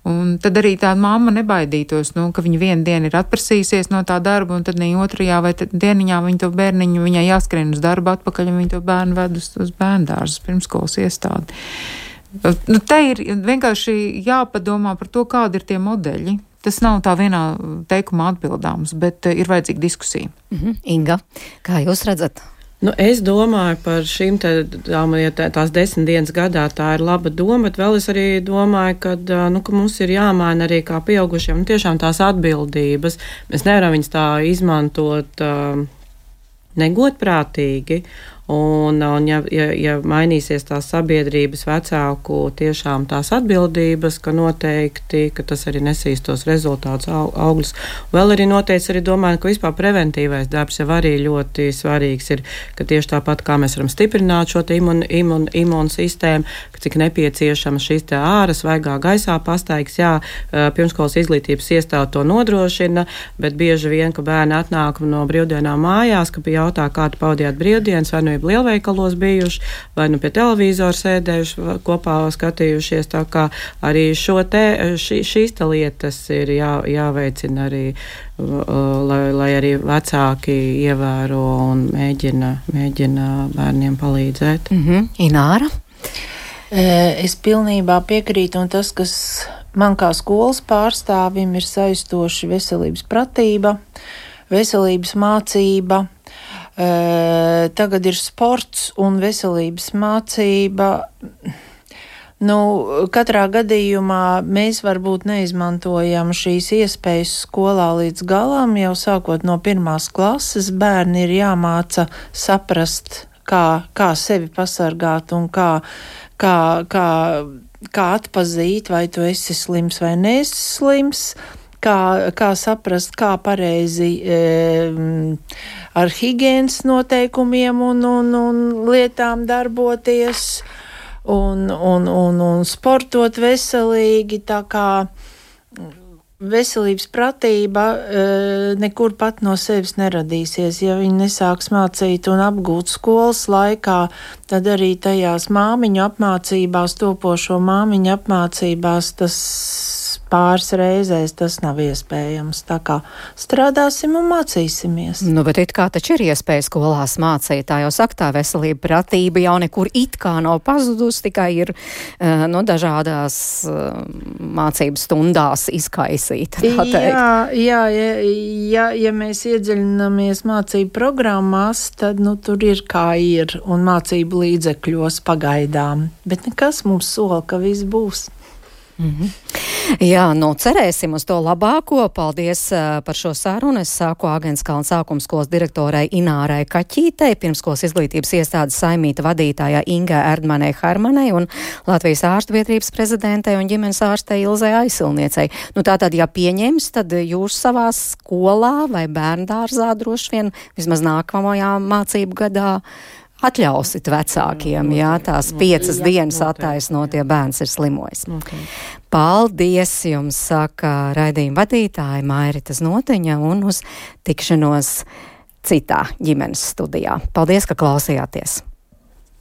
Un tad arī tā mamma nebaidītos, ka viņa vienu dienu ir atprasījusies no tā darba, un tad ne otrajā vai dieniņā viņa to bērniņu, viņai jāskrien uz darbu atpakaļ, un viņa to bērnu ved uz bērndārzu, pirmskolas iestādi. Te ir vienkārši jāpadomā par to, kādi ir tie modeļi. Tas nav tā vienā teikumā atbildāms, bet ir vajadzīga diskusija. Inga, kā jūs redzat? Es domāju par šīm tās 10 dienas gadā, tā ir laba doma, bet vēl es arī domāju, ka mums ir jāmaina arī kā pieaugušiem tiešām tās atbildības. Mēs nevaram viņas tā izmantot negodprātīgi. Un ja mainīsies tās sabiedrības vecāku tiešām tās atbildības, ka noteikti, ka tas arī nesīs tos rezultātus, augļus. Vēl arī noteikti arī domāju, ka vispār preventīvais darbs jau arī ļoti svarīgs ir, ka tieši tāpat kā mēs varam stiprināt šo imūnsistēmu, ka cik nepieciešama šīs te ārā svaigā gaisā pastaigas, jā, pirmskolas izglītības iestāde to nodrošina, bet bieži vien, ka bērni atnāk no brīvdienām mājās, ka pie jautā, kā tu pavadījāt brīvdienas, vai nu ir lielveikalos bijuši, vai nu pie televizora sēdējuši, kopā skatījušies, tā kā arī šīs te lietas ir jāveicina arī, lai arī vecāki ievēro un mēģina bērniem palīdzēt. Ināra? Es pilnībā piekrītu, un tas, kas man kā skolas pārstāvim ir saistoši veselības pratība, veselības mācība, tagad ir sports un veselības mācība. Katrā gadījumā mēs varbūt neizmantojam šīs iespējas skolā līdz galam, jau sākot no 1. klases bērni ir jāmāca saprast, kā sevi pasargāt un kā atpazīt, vai tu esi slims vai neesi slims, kā saprast, kā pareizi ar higienas noteikumiem un lietām darboties un sportot veselīgi, tā kā veselības pratība nekur pat no sevis neradīsies. Ja viņi nesāks mācīt un apgūt skolas laikā, tad arī tajās māmiņu apmācībās, topošo māmiņu apmācībās, tas pāris reizēs tas nav iespējams. Tā kā strādāsim un mācīsimies. Bet it kā taču ir iespēja skolās mācīt. Tā jau saka, tā veselība pratība jau nekur it kā nav pazudus, tikai ir dažādās mācības stundās izkaisīta. Ja mēs iedziļināmies mācību programmās, tad tur ir kā ir un mācību līdzekļos pagaidām. Bet nekas mums sola, ka viss būs. Jā, cerēsim uz to labāko. Paldies par šo sarunu. Es saku Āgenskalna sākuma skolas direktorai Inārai Kaķītei, pirmskolas izglītības iestādes saimīta vadītājai Ingai Erdmanai Harmanai un Latvijas ārstu biedrības prezidentei un ģimenes ārstei Ilzei Aizsilniecei. Tātad, ja pieņems, tad jūs savā skolā vai bērndārzā droši vien vismaz nākamajā mācību gadā atļausit vecākiem, tās 5 dienas attaisnot, ja bērns ir slimojis. Paldies jums, saka raidījuma vadītāja Mairita Znotiņa, un uz tikšanos citā ģimenes studijā. Paldies, ka klausījāties!